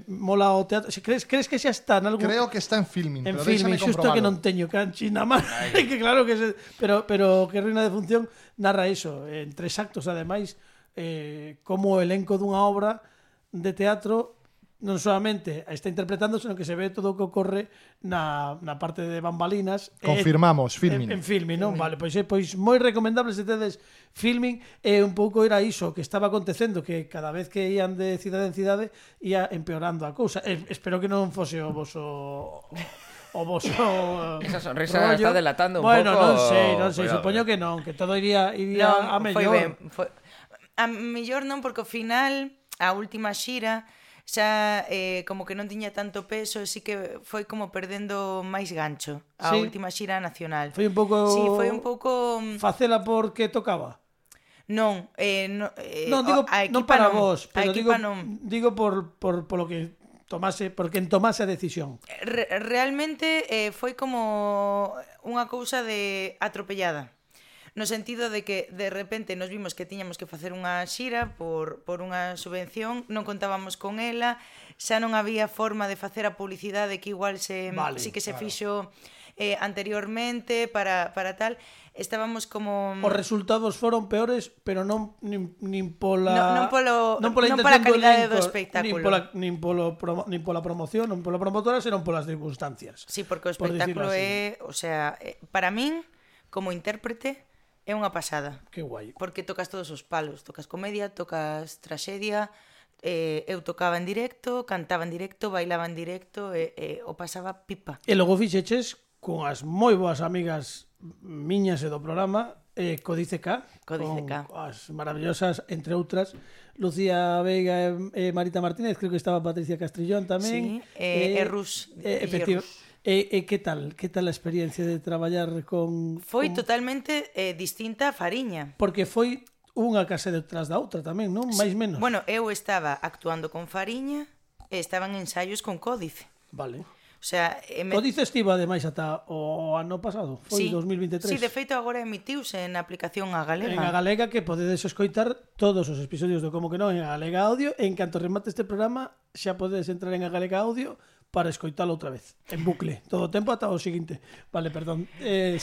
mola o teatro. Crees que xa está en algún... Creo que está en Filmin, En pero Filmin, déxame xusto que comprobalo. non teño canchi na man. Que claro que pero que ruina de función narra iso, en 3 actos ademais, como o elenco dunha obra de teatro non solamente está interpretando, senón que se ve todo o que ocorre na parte de bambalinas. Confirmamos, Filmin. En Filmin, non? Vale, pois moi recomendable se tedes Filmin, e un pouco era iso que estaba acontecendo, que cada vez que ían de cidade en cidade ia empeorando a cousa. Espero que non fose o voso Esa sonrisa está delatando un pouco. pouco. Non sei, Cuidado, supoño que non, que todo iría Non, a mellor. foi ben. A mellor non, porque ao final, a última xira, xa como que non tiña tanto peso, sí que foi como perdendo máis gancho a Sí. última xira nacional. Foi un pouco... Sí, foi un pouco... Facela porque tocaba. Non, Non, digo, a equipa non para non. vos, pero A equipa non. digo por lo que tomase a decisión. Realmente foi como unha cousa de atropellada. No sentido de que de repente nos vimos que tiñamos que facer unha xira por unha subvención, non contábamos con ela, xa non había forma de facer a publicidade que igual sí que se fixo anteriormente para tal. Estábamos como... Os resultados foron peores, pero non nin pola pola calidade do espectáculo. nin pola promoción, non pola promotora, senón polas circunstancias. Sí, porque o espectáculo é, o sea, para min, como intérprete, é É unha pasada. Que guai. Porque tocas todos os palos. Tocas comedia, tocas traxedia, eu tocaba en directo, cantaba en directo, bailaba en directo, o pasaba pipa. E logo fixeches con as moi boas amigas miñas e do programa, Códice K, Códice K. As maravillosas, entre outras, Lucía Veiga e Marita Martínez, creo que estaba Patricia Castrillón tamén. Sí, e Rus. E que tal a experiencia de traballar con... Foi totalmente distinta a Fariña. Porque foi unha casa detrás da outra tamén, non? Mais menos. Bueno, eu estaba actuando con Fariña e estaban ensaios con Códice. Vale. O sea, Códice estivo ademais ata o ano pasado, foi sí, 2023. Sí, de feito agora emitiuse na aplicación A Galega. En A Galega, que podedes escoitar todos os episodios do Como que non en A Galega Audio, e en canto remate este programa xa podedes entrar en A Galega Audio para escoitalo outra vez, en bucle, todo o tempo ata o seguinte. Vale, perdón.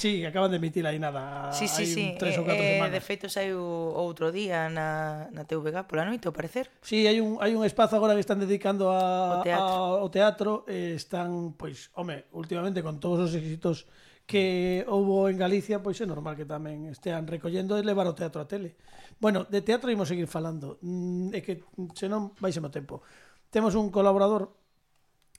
Sí, acaban de emitir aí nada, sí, hai 3 ou 4 semanas. De feito saiu outro día na TVG pola noite, ao parecer. Sí, hai un espazo agora que están dedicando ao teatro, están, pois, últimamente con todos os éxitos que houbo en Galicia, pois é normal que tamén estean recollendo e levar o teatro a tele. Bueno, de teatro imos seguir falando, é que senón vaisemo tempo. Temos un colaborador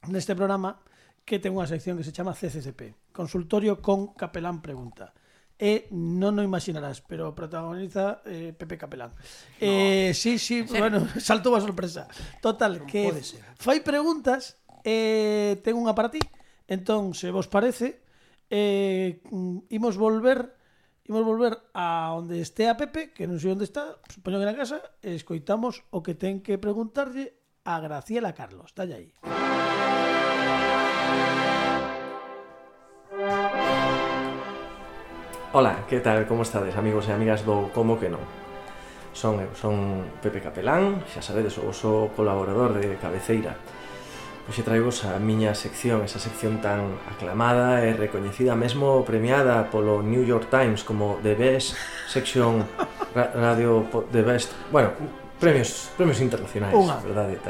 neste programa que ten unha sección que se chama CCCP, Consultorio con Capelán Pregunta. E non o imaginarás, pero protagoniza Pepe Capelán. Sí, bueno, saltou a sorpresa. Total, que fai preguntas, ten unha para ti. Entón, se vos parece, imos volver a onde este a Pepe, que non sei onde está, supoño que na casa, e escoitamos o que ten que preguntarlle a Graciela Carlos. Dalle aí. Ola, que tal, como estades, amigos e amigas do Como que non? Son Pepe Capelán, xa sabedes, o voso colaborador de cabeceira. Hoxe traigos a miña sección, esa sección tan aclamada e recoñecida, mesmo premiada polo New York Times como The Best Section Radio, The Best... Bueno, premios internacionais, verdade?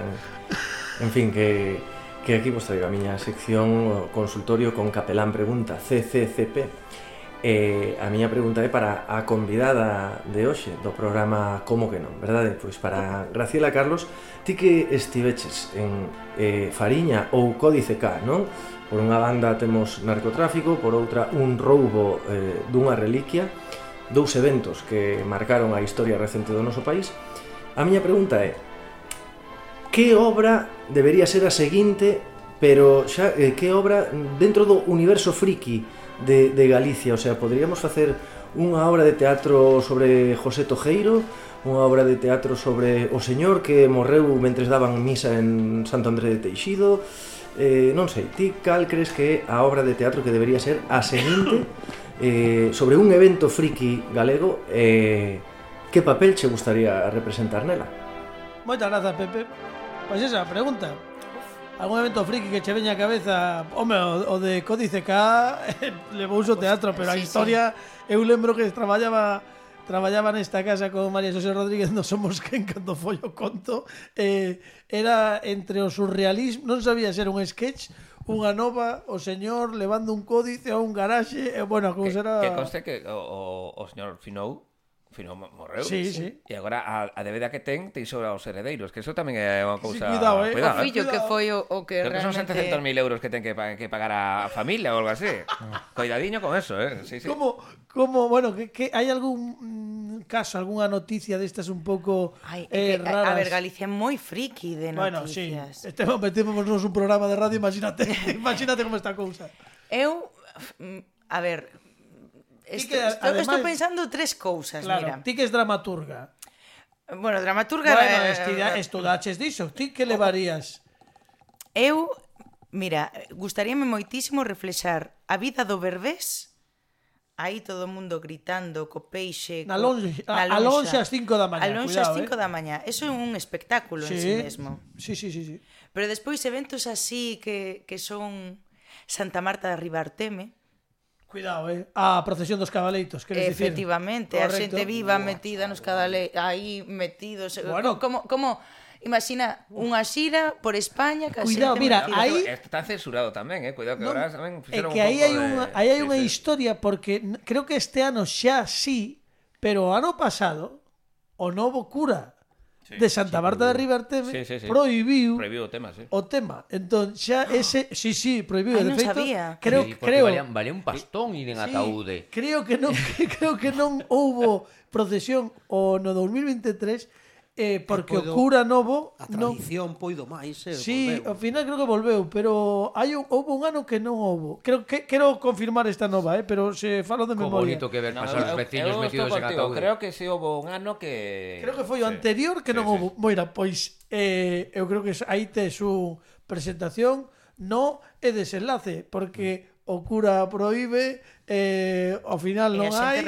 En fin, que aquí vos traigo a miña sección, o consultorio con Capelán Pregunta, CCCP. A miña pregunta é para a convidada de hoxe do programa Como que non, verdade? Pois para Graciela Carlos, ti que estiveches en Fariña ou Códice K, non? Por unha banda temos narcotráfico, por outra un roubo dunha reliquia, dous eventos que marcaron a historia recente do noso país. A miña pregunta é: que obra debería ser a seguinte, pero xa que obra dentro do universo friki de Galicia? O sea, poderíamos facer unha obra de teatro sobre José Tojeiro, unha obra de teatro sobre o señor que morreu mentres daban misa en Santo André de Teixido, non sei, ti cal crees que é a obra de teatro que debería ser a seguinte sobre un evento friki galego, que papel che gustaría representar nela? Moitas grazas, Pepe. Pois esa pregunta. Algún evento friki que che veña a cabeza? Home, o de Códice K levouse o teatro, pero a historia, eu lembro que traballaba nesta casa con María Xosé Rodríguez, non somos quen cando foi o conto, era entre o surrealismo, non sabía ser un sketch, unha nova, o señor levando un códice a un garaxe, bueno, como será... Que conste que o señor Finou morreu. Sí. E agora a débeda que ten sobre os heredeiros, que eso tamén é unha cousa... Sí, cuidado, o fillo que foi o que creo realmente... que son 700.000 euros que ten que pagar a familia ou algo así. Cuidadiño con eso, Sí. Como, bueno, que hai algún caso, algunha noticia destas un pouco raras? A ver, Galicia é moi friki de noticias. Bueno, sí, metémonos un programa de radio, imagínate como está a cousa. Eu, a ver... Estou pensando tres cousas, claro, mira. Ti que es dramaturga. Bueno, dramaturga... Bueno, estudaches diso. Ti que levarías? Eu, mira, gustaríame moitísimo reflexar a vida do Berbés, aí todo o mundo gritando co peixe... A lonxe ás 5 da mañá. A lonxe ás 5 da mañá. Eso é un espectáculo en sí mesmo. Sí. Pero despois eventos así que son Santa Marta de Ribarteme. Cuidado, a procesión dos cabaleitos, queres dicir? Efectivamente, a xente viva metida nos cabaleitos, aí metidos. Bueno, como imagina unha xira por España, que cuidado, mira, aí está censurado tamén, cuidado que agora tamén fixeron un pouco de... Aí hai unha historia, porque creo que este ano xa sí Pero o ano pasado, o novo cura de Santa Marta de Ribarteme prohibiu o tema, sí. O tema. Entón, xa ese... Sí, prohibiu. Non De feito, sabía. creo... Valía un pastón ir en ataúde. Creo que non houbo procesión o no 2023 porque o cura novo... A tradición poido máis. Sí, ao final creo que volveu, pero houve un ano que non houbo. Quero confirmar esta nova, pero se falo de memoria. Como bonito que ver pasar os veciños metidos en ataúde. Creo que si houve un ano que... Creo que foi o anterior que non houve. Moira, pois eu creo que aí tes unha presentación no e desenlace, porque o cura proíbe, ao final non hai,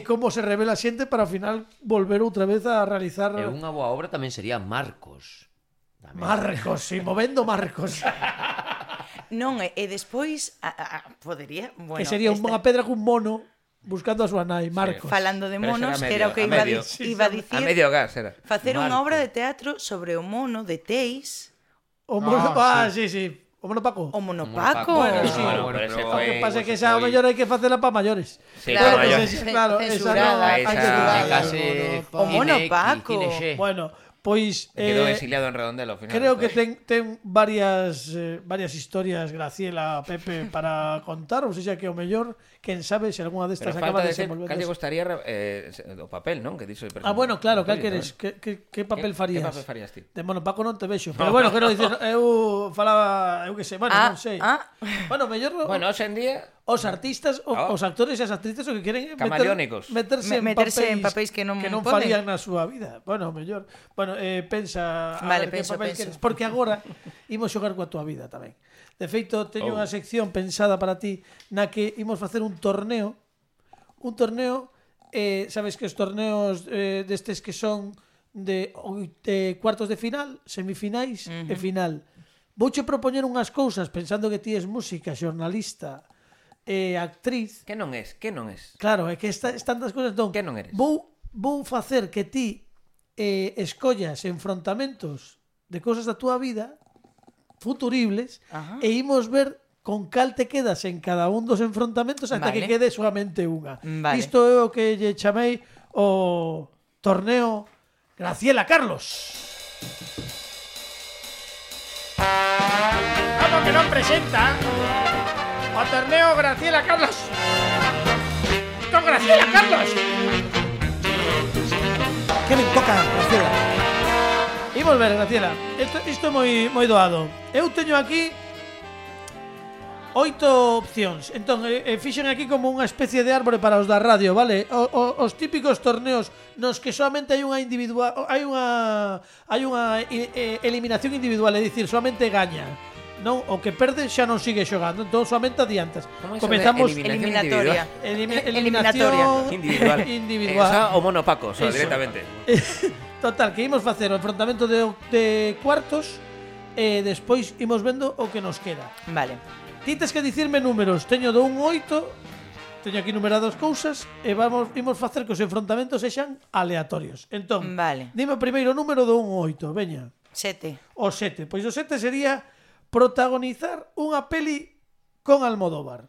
como se revela a xente para ao final volver outra vez a realizar... E unha boa obra tamén sería Marcos. Marcos, si, movendo Marcos. Non, e despois podería... Bueno, que sería unha pedra cun mono buscando a súa nai, Marcos. Falando de monos, que era o que iba a dicir. A medio gas era. Facer unha obra de teatro sobre o mono de Teis. O mono, sí. O mono Paco. O mono Paco. Bueno, sí. O que pasa é que esa mellor hai que facela para maiores. Sí, para maiores. Claro, censurada. O mono Paco. Bueno, pois quedou exiliado en Redondela ao final. Creo que ten varias historias Graciela, Pepe para contar, ou seja que o mellor, quen sabe se algunha destas acaba de desenvolver. Cal lle gustaría o papel, non? Que dixo. Bueno, claro, cal queres? Que papel farías? Que papel farías ti? De mono Paco non te vexo, pero bueno, quero dicir, eu falaba, eu que sei, non sei. Bueno, mellor hoxe en día os artistas, os actores e as actrices o que queren meterse en papéis que non farían na súa vida. Bueno, mellor. Bueno, pensa que papel queres, porque agora imos xogar coa túa vida tamén. De feito, teño unha sección pensada para ti na que imos facer un torneo. Sabes que os torneos destes que son de cuartos de final, semifinais e final. Vouche propoñer unhas cousas pensando que ti és música, xornalista, actriz. Que non es? Claro, é que están das cousas. Entón, que non eres? Vou facer que ti escollas enfrontamentos de cousas da túa vida futuribles e imos ver con cal te quedas en cada un dos enfrontamentos hasta que quede solamente unha. Isto é o que lle chamei o torneo Graciela Carlos. Como que non presenta o torneo Graciela Carlos. Con Graciela Carlos. Que me toca, Graciela? Imos ver, Graciela. Isto é moi doado. Eu teño aquí 8 opcións. Entón, fixen aquí como unha especie de árbore para os da radio, vale? Os típicos torneos nos que solamente hai unha individual, hai unha eliminación individual, é dicir, solamente gaña. Non, o que perde xa non sigue xogando, entón solamente adiantas. Comezamos eliminatoria. Eliminación individual. Esa o mono Paco, directamente. Total, que imos facer o enfrontamento de cuartos e despois imos vendo o que nos queda. Vale. Ti tes que dicirme números. Teño do 1 ao 8. Teño aquí numeradas cousas e imos facer que os enfrontamentos sexan aleatorios. Entón, dime o primeiro número do 1 ao 8, veña. 7. O 7. Pois o 7 sería protagonizar unha peli con Almodóvar.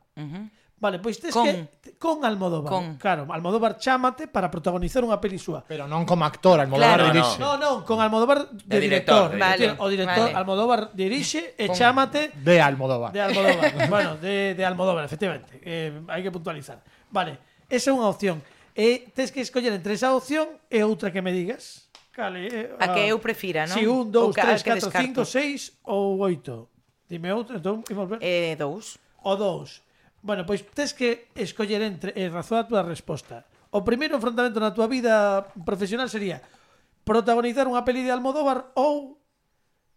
Vale, pois tes que con Almodóvar. Claro, Almodóvar chámate para protagonizar unha peli súa. Pero non como actor, Almodóvar dirixe. Non, con Almodóvar de director. O director Almodóvar dirixe e chámate de Almodóvar. Bueno, de Almodóvar, efectivamente. Hai que puntualizar. Vale, esa é unha opción. E tes que escoller entre esa opción e outra que me digas. A que eu prefira, non? Si, 1, 2, 3, 4, 5, 6 ou 8. Dime outra, entón, imos ver. 2. O 2. Bueno, pois tes que escoller entre razón a túa resposta. O primeiro enfrontamento na túa vida profesional sería protagonizar unha peli de Almodóvar ou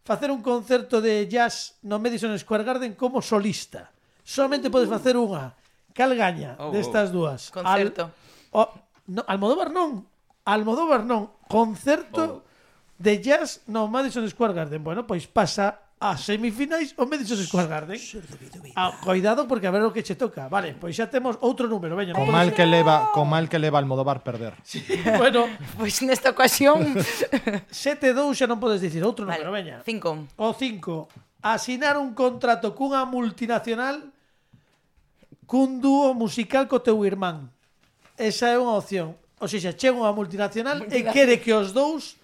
facer un concerto de jazz no Madison Square Garden como solista. Solamente podes facer unha. Cal gaña destas dúas? Concerto. Almodóvar non. Concerto de jazz no Madison Square Garden. Bueno, pois pasa a semifinais o Madison Square Garden. Cuidado porque a ver o que che toca. Vale, pois xa temos outro número. Veña, con mal que leva Almodóvar perder. Sí, bueno, pois nesta ocasión 7-2 xa non podes dicir outro número, veña. 5. O 5. Asinar un contrato cunha multinacional cun dúo musical co teu irmán. Esa é unha opción. ou seja, chega unha multinacional e quere que os dous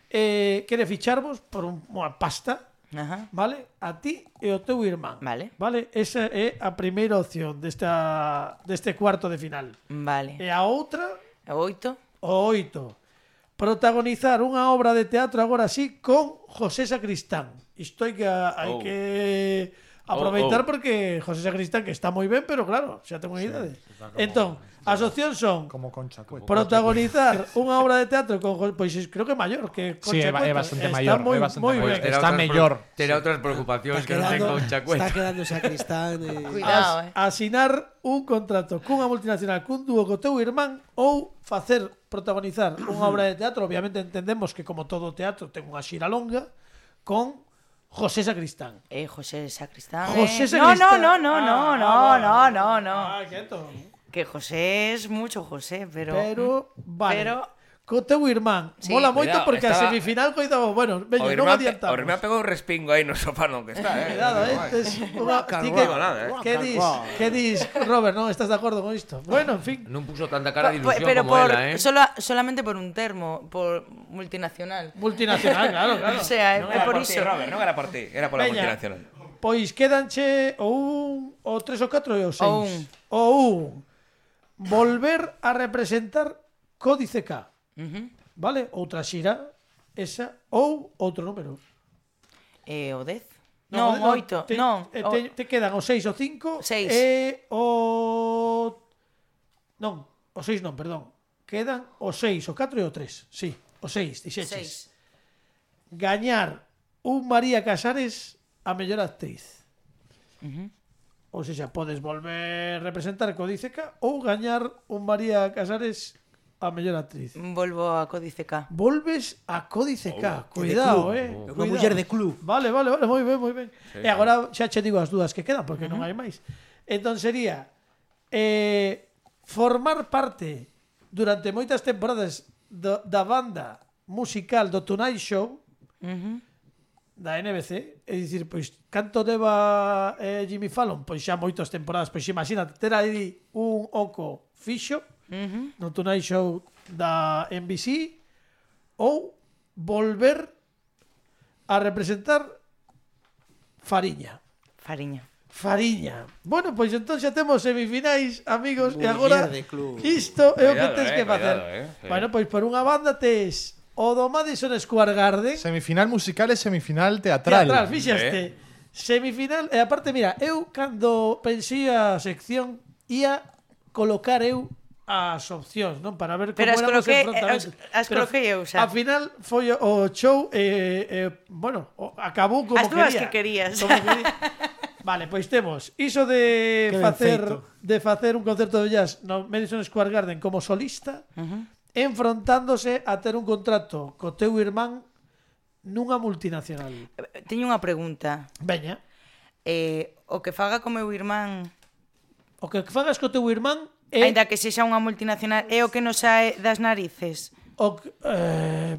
quere ficharvos por unha pasta. Ajá. Vale? A ti e o teu irmán. Vale. Vale? Esa é a primeira opción deste cuarto de final. Vale. E a outra, O 8. o 8. Protagonizar unha obra de teatro agora sí con José Sacristán. Isto hai que aproveitar porque José Sacristán que está moi ben, pero claro, xa ten unha idade. Entón, as opcións son Como Concha Cueta. protagonizar unha obra de teatro con pois creo que maior que Sí, Concha é Cueta. bastante Está maior, moi, é bastante moi maior. ben. Está mellor. Terá outras preocupacións que non ten Concha Cueta. Está quedando Sacristán. Cuidado, Asinar un contrato cunha multinacional cun dúo co teu irmán ou protagonizar unha obra de teatro, obviamente entendemos que como todo teatro ten unha xira longa con José Sacristán. José Sacristán. José Sacristán. No. Quieto. Que José es mucho José, pero Vale. pero Co teu irmán. Sí. Mola moito Cuidado, porque a estaba- semifinal coitamos, bueno, veña, O non irmán adiantamos. pegou un respingo aí no sofá no que está, Cuidado, ti que, digo nada, que dis, Robert, non estás de acordo con isto? Bueno, en fin. Non puso tanta cara de ilusión pero como por ela, solamente por un termo, por multinacional. Multinacional, claro. O sea, Non é era por por ti, iso. Robert, non era por ti, era pola Veña. multinacional. Pois quédanche o 3 ou 4 e o 6. O 1. Volver a representar Códice K. Vale? Outra xira, esa, ou outro número. O 10? Non, 8. Non. Te quedan o 6 o 5 6. e o... Non, o 6 non, perdón. Quedan o 6, o 4 e o 3. Sí, o 6, dixeches. 6. Gañar un María Casares a mellor actriz. Ou seja, podes volver a representar Códice K ou gañar un María Casares a mellor actriz. Volvo a Códice K. Volves a Códice K. Cuidado, Unha Cuidado. muller de club. Vale, moi ben. E agora xa che digo as dúas que quedan porque non hai máis. Entón sería formar parte durante moitas temporadas da banda musical do Tonight Show da NBC, é dicir, pois canto leva Jimmy Fallon, pois xa moitas temporadas, pois imagínate ter aí un oco fixo no Tonight Show da NBC ou volver a representar Fariña. Fariña. Bueno, pois entón xa temos semifinais, amigos, e agora de club. isto é o que Cuidado, tens que facer. cuidado, Bueno, pois por unha banda tes o do Madison Square Garden. Semifinal musical e semifinal teatral. Teatral, fixaste. Semifinal, e aparte, mira, eu cando pensei a sección ia colocar eu as opcións, non? Para ver como Pero as éramos coloquei- enfrontamentos. as Pero coloquei eu xa. Ao final foi o show bueno, acabou como As dúas quería. que querías. Como quería. Vale, pois temos iso de Que ben facer un concerto de jazz no Madison Square Garden como solista, enfrontándose a ter un contrato co teu irmán nunha multinacional. Teño unha pregunta. Veña, O que faga co meu irmán, o que fagas co teu irmán é aínda que sexa unha multinacional, é o que nos sae das narices.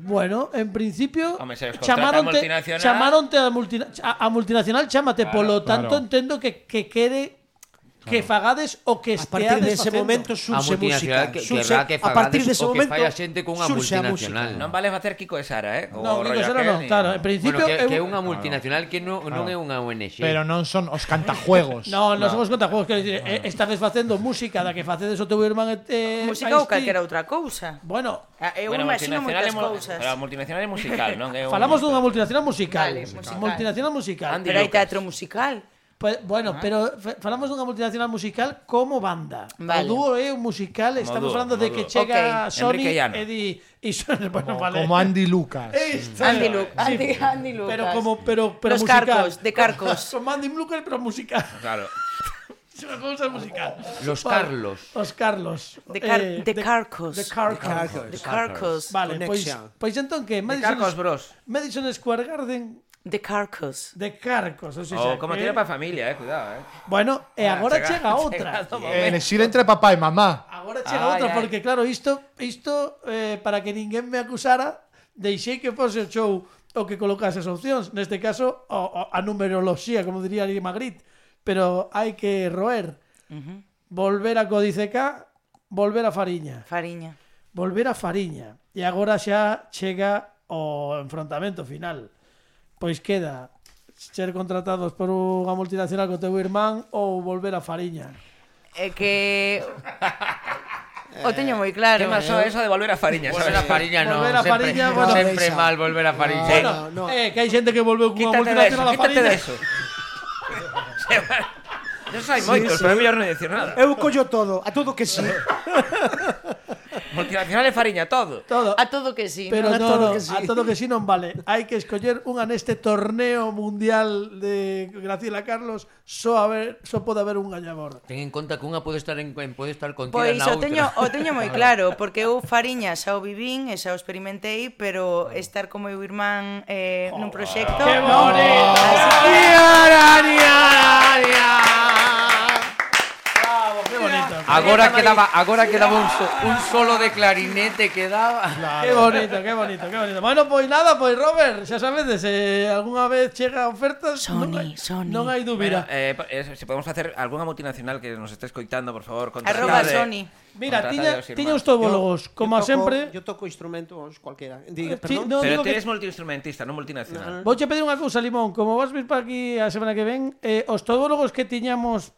bueno, en principio Home, se os contrata a multinacional- a multinacional chámate, polo tanto entendo que quere que fagades o que A partir esteades dese facendo. momento A surxe multinacional música. que Surxe- querrá que a partir fagades dese o que momento fai a xente cunha surxe a multinacional. música. Non vale facer Kiko e Sara, No, O rollo Kiko Sara aquel, non, claro, en principio Bueno, que é eu- unha multinacional que non é unha ONG. Pero non son os cantajuegos. No, non somos contajuegos, quero dicir, estades facendo música da que facedes o teu irmán Música ou calquera outra cousa. Bueno, Eu Bueno, imagino moitas cousas. Pero a multinacional é musical, non? É un- falamos dunha multinacional musical. Vale, musical. Multinacional musical. Andy Pero hai Lucas. teatro musical. Bueno, pero falamos dunha multinacional musical como banda. Vale. O dúo é un musical, estamos dúo, falando de como que dúo. chega Ok. Sony Enrique Llano. e di bueno, vale. Como Andy Lucas. Andy Lucas. Pero Los musical. Carcos, de Carcos. Como Andy Lucas, pero musical. Claro. Es una cosa musical. Los Vale. Carlos. Os Carlos. De Carcos. De Carcos. De Carcos. Vale, Connection. pois entón que Carcos Bros. Madison Square Garden De Carcos. de Carcos, ou seja, Como que- tira para a familia, cuidado, Bueno, e agora chega outra. chegado o momento. Elegir entre papá e mamá. Agora chega outra, porque claro, isto para que ninguén me acusara, deixei que fose o show o que colocase as opcións. Neste caso, a numeroloxía, como diría Ali Magritte. Pero hai que roer. Volver a Códice K, volver a Fariña. Fariña. volver a Fariña. E agora xa chega o enfrontamento final. Pois queda ser contratados por unha multinacional co teu irmán ou volver a Fariña. É que... O teño moi claro. Que máis eso de volver a Fariña, Volver a Fariña non. Volver a Fariña, bueno, sempre mal volver a Fariña. Bueno, que hai xente que volveu cunha multinacional a Quítate Fariña. de eso. Non hai moitos, pero é mellor non dicir nada. Eu collo todo, a todo que sí. Multinacional e Fariña, todo. A todo que sí. Pero ¿no? no, a todo que sí non vale. Hai que escoller unha neste torneo mundial de Graciela Carlos, só pode haber un gañador. Ten en conta que unha pode estar contida Pois na outra. o teño moi claro, porque eu Fariña xa o vivín e xa o experimentei, pero estar como meu irmán nun proxecto... ¡Qué bonito! Así que... Bravo, qué bonito. Agora quedaba un solo de clarinete quedaba. Qué bonito, qué bonito, qué bonito. Bueno, pois nada, pois Robert, xa sabedes, algunha vez chega ofertas, Sony. non hai dúbida. Se podemos facer algunha multinacional que nos este escoitando, por favor, Arroba Sony. Mira, tiña os tobólogos, como sempre. Yo toco instrumentos cualquiera. No, pero digo ti que eres multiinstrumentista, non multinacional. vouche pedir unha cousa, Limón, como vas vir para aquí a semana que ven, os tobólogos que tiñamos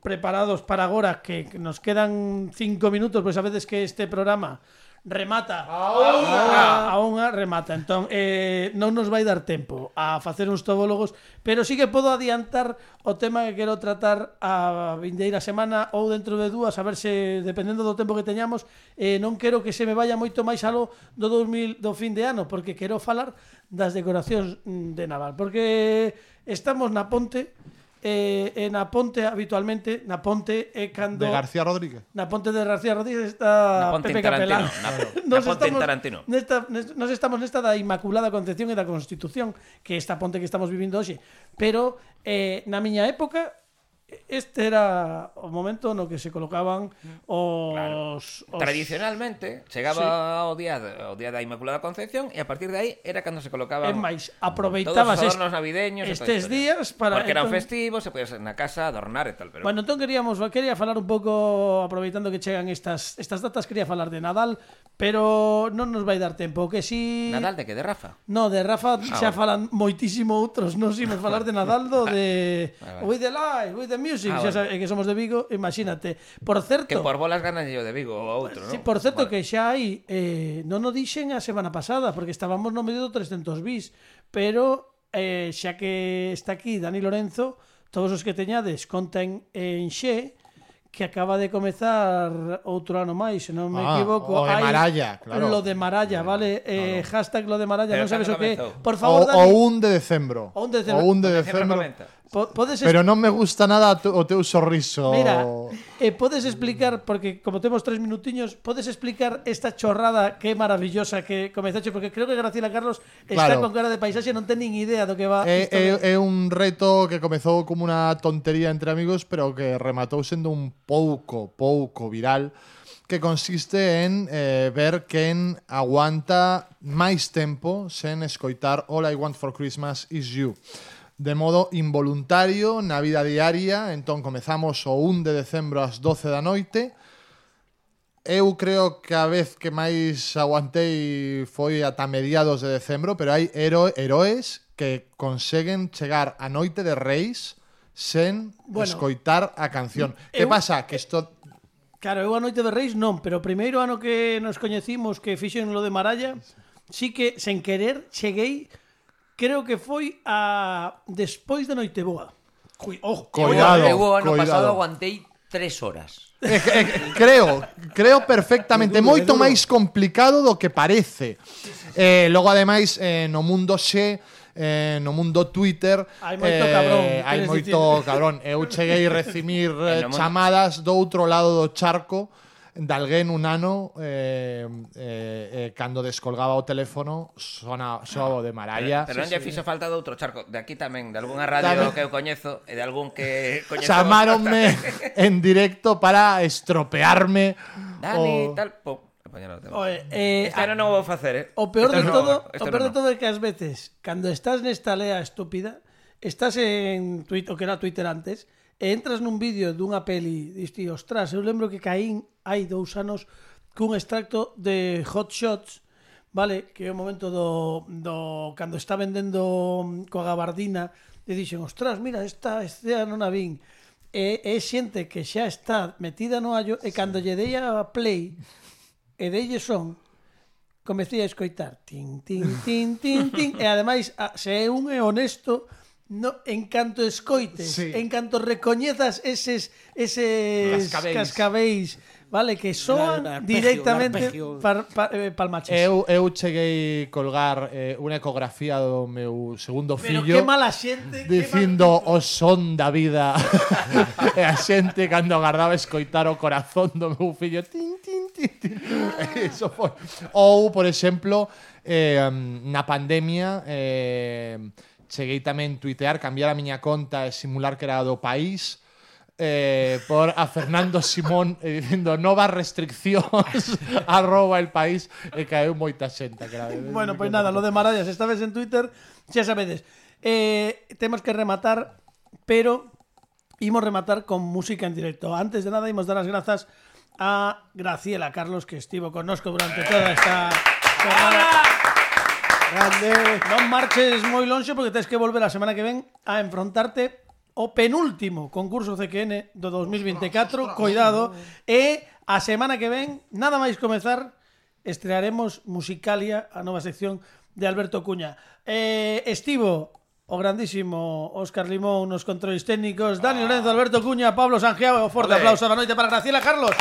preparados para agora, que nos quedan 5 minutos, pois a veces que este programa remata a unha remata, entón non nos vai dar tempo a facer uns tobólogos, pero sí que podo adiantar o tema que quero tratar a vindeira semana ou dentro de dúas, a ver se, dependendo do tempo que teñamos, non quero que se me vaya moito máis alo do fin de ano, porque quero falar das decoracións de Naval, porque estamos na Ponte. Na Ponte habitualmente na Ponte é cando De García Rodríguez. Na Ponte de García Rodríguez está Pepe Capelán. Na Ponte en Tarantino. Nos estamos nesta da Inmaculada Concepción e da Constitución, que esta ponte que estamos vivindo hoxe, pero na miña época este era o momento no que se colocaban os tradicionalmente chegaba o día da Inmaculada Concepción e a partir de aí era cando se colocaban máis aproveitabas todos os adornos navideños estes días para porque eran festivos, se podía ser na casa adornar e tal, pero bueno, entón quería falar un pouco, aproveitando que chegan estas datas, quería falar de Nadal, pero non nos vai dar tempo, que si Nadal de que? De Rafa? No, de Rafa xa falan moitísimo outros, non imos falar de Nadal de With the Light, With the Music, xa sabe, que somos de Vigo, imagínate. Por certo, que por bolas ganas yo de Vigo ou outro, non? Sí, por certo que xa hai non o dixen a semana pasada, porque estábamos no medio do 300 bis, pero xa que está aquí Dani Lorenzo, todos os que teñades conten en Xe, que acaba de comezar outro ano máis, se non me equivoco. O de Maralla, claro. Lo de Maralla, vale? Hashtag lo de Maralla, non sabes o que. Por favor, Dani. O 1 de decembro. O 1 de decembro. Pero non me gusta nada o teu sorriso. Mira, podes explicar, porque como temos 3 minutiños, podes explicar esta chorrada que é maravillosa que comezaste, porque creo que Graciela Carlos está con cara de paisaxe, non ten nin idea do que va. É un reto que comezou como unha tontería entre amigos, pero que rematou sendo un pouco viral, que consiste en ver quen aguanta máis tempo sen escoitar All I Want for Christmas Is You. De modo involuntario, na vida diaria. Entón comezamos o 1 de decembro ás 12 da noite. Eu creo que a vez que máis aguantei foi ata mediados de decembro, pero hai heroes que conseguen chegar a noite de Reis sen escoitar a canción. Que pasa? Que isto... Claro, eu a noite de Reis non, pero o primeiro ano que nos coñecimos, que fixen lo de Maralla, sí que, sen querer, cheguei... Creo que foi despois da Noiteboa. Cuidado, eu o ano pasado aguantei 3 horas. Creo perfectamente. Moito máis complicado do que parece. Logo, ademais, no mundo Xe, no mundo Twitter, hai moito cabrón. Hai moito cabrón. Eu cheguei a recibir chamadas do outro lado do charco de alguén un ano cando descolgaba o teléfono soaba de Maralla. Pero non lle fixo falta de outro charco. De aquí tamén, de algunha radio que eu coñezo e de algún que coñezo. Chamáronme en directo para estropearme. Dani, tal... Este ano non vou facer, O peor de todo é que ás veces, cando estás nesta lea estúpida, estás en Twitter, o que era Twitter antes, e entras nun vídeo dunha peli, diste, ostras, eu lembro que caín hai 2 anos cun extracto de Hot Shots, vale, que é o momento do cando está vendendo coa gabardina e dixen, ostras, mira, esta escena non a vin. É xente que xa está metida no allo e cando lle dei a play e deille son, comecei a escoitar tin, tin, tin, tin, tin, e ademais, se un é honesto, no, en canto escoites, en canto recoñezas eses cascabeis, vale, que soan directamente palmaches. Eu cheguei colgar unha ecografía do meu segundo fillo. Pero que mala xente, dicindo o son da vida. E a xente cando agardaba escoitar o corazón do meu fillo, tin, tin, tin, tin. Eso foi. Ou, por exemplo, na pandemia cheguei tamén tuitear, cambiar a miña conta e simular que era do país por a Fernando Simón dicindo novas restriccións @el país e caeu moita xente. Bueno, pois nada, lo de Marallas, esta vez en Twitter, xa sabedes. Temos que rematar, pero imos rematar con música en directo. Antes de nada, imos dar as grazas a Graciela Carlos, que estivo connosco durante toda esta jornada. Grande. Non marches moi lonxe porque tens que volver a semana que ven a enfrontarte o penúltimo concurso CQN do 2024. Cuidado. E a semana que ven, nada máis comezar, estrearemos Musicalia, a nova sección de Alberto Cuña. Estivo o grandísimo Óscar Limón nos controles técnicos, Dani Lorenzo, Alberto Cuña, Pablo Sangiao, o forte aplauso da noite para Graciela Carlos.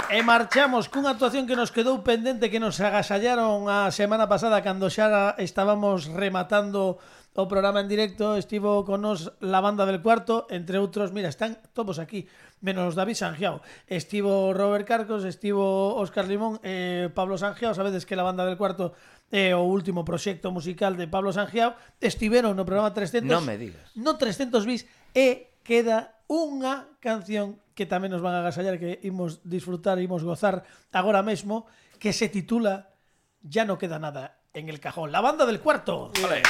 E marchamos cunha actuación que nos quedou pendente, que nos agasallaron a semana pasada cando xa estábamos rematando o programa en directo. Estivo con nos la banda del cuarto, entre outros, mira, están todos aquí, menos David Sangiao. Estivo Robert Carcos, estivo Óscar Limón, Pablo Sangiao. Sabedes que la banda del cuarto é o último proxecto musical de Pablo Sangiao. Estiveron no programa 300. Non me digas. No 300 bis e queda unha canción que tamén nos van a agasallar, que imos disfrutar, imos gozar agora mesmo, que se titula Ya no queda nada en el cajón. La banda del cuarto. Vale.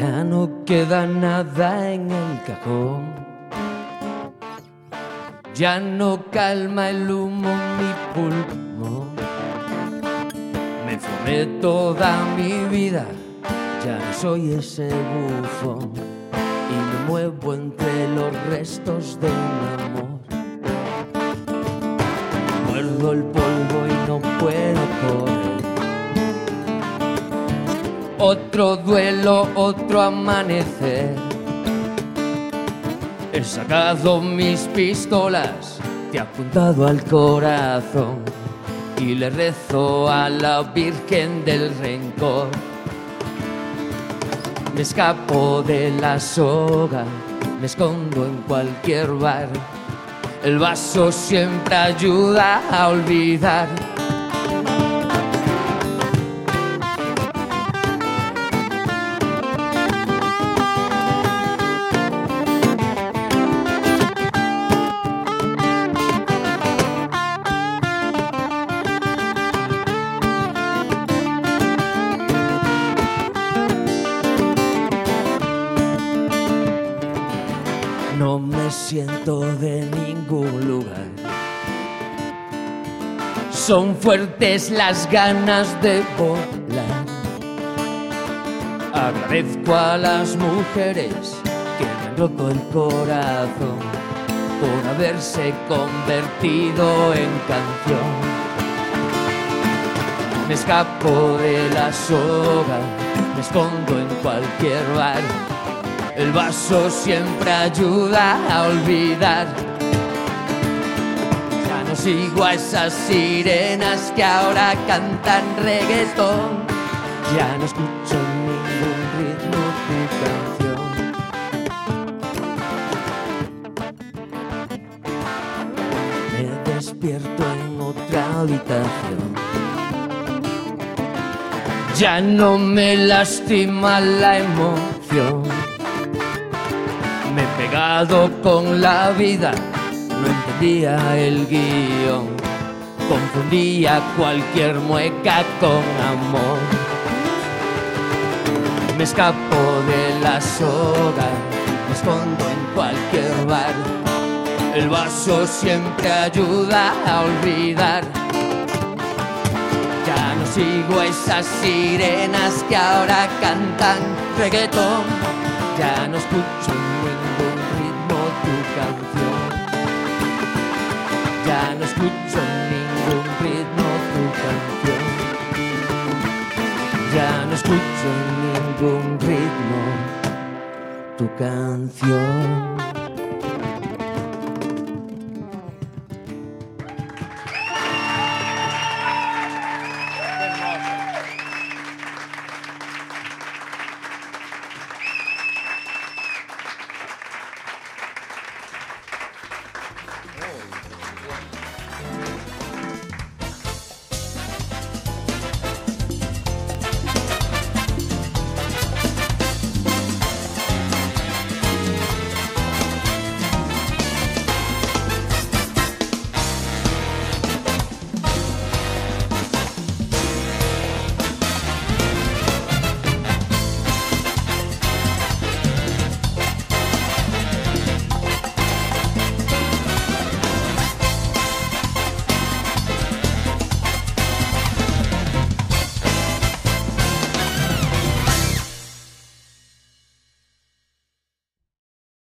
Ya no queda nada en el cajón. Ya no calma el humo mi pulmón. Me formé toda mi vida, ya no soy ese bufón. Y me muevo entre los restos de un amor. Muerdo el polvo y no puedo correr. Otro duelo, otro amanecer. He sacado mis pistolas, te he apuntado al corazón y le rezo a la Virgen del Rencor. Me escapo de la soga, me escondo en cualquier bar. El vaso siempre ayuda a olvidar. No me siento de ningún lugar. Son fuertes las ganas de volar. Agradezco a las mujeres que me han roto el corazón por haberse convertido en canción. Me escapo de la soga, me escondo en cualquier bar. El vaso siempre ayuda a olvidar. Ya no sigo a esas sirenas que ahora cantan reggaetón. Ya no escucho ningún ritmo tu canción. Me despierto en otra habitación. Ya no me lastima la emoción. Me he pegado con la vida, no entendía el guión, confundía cualquier mueca con amor. Me escapo de la soga, me escondo en cualquier bar. El vaso siempre ayuda a olvidar. Ya no sigo a esas sirenas que ahora cantan reggaetón. Ya no escucho ningún ritmo tu canción. Ya no escucho ningún ritmo tu canción. Ya no escucho ningún ritmo tu canción.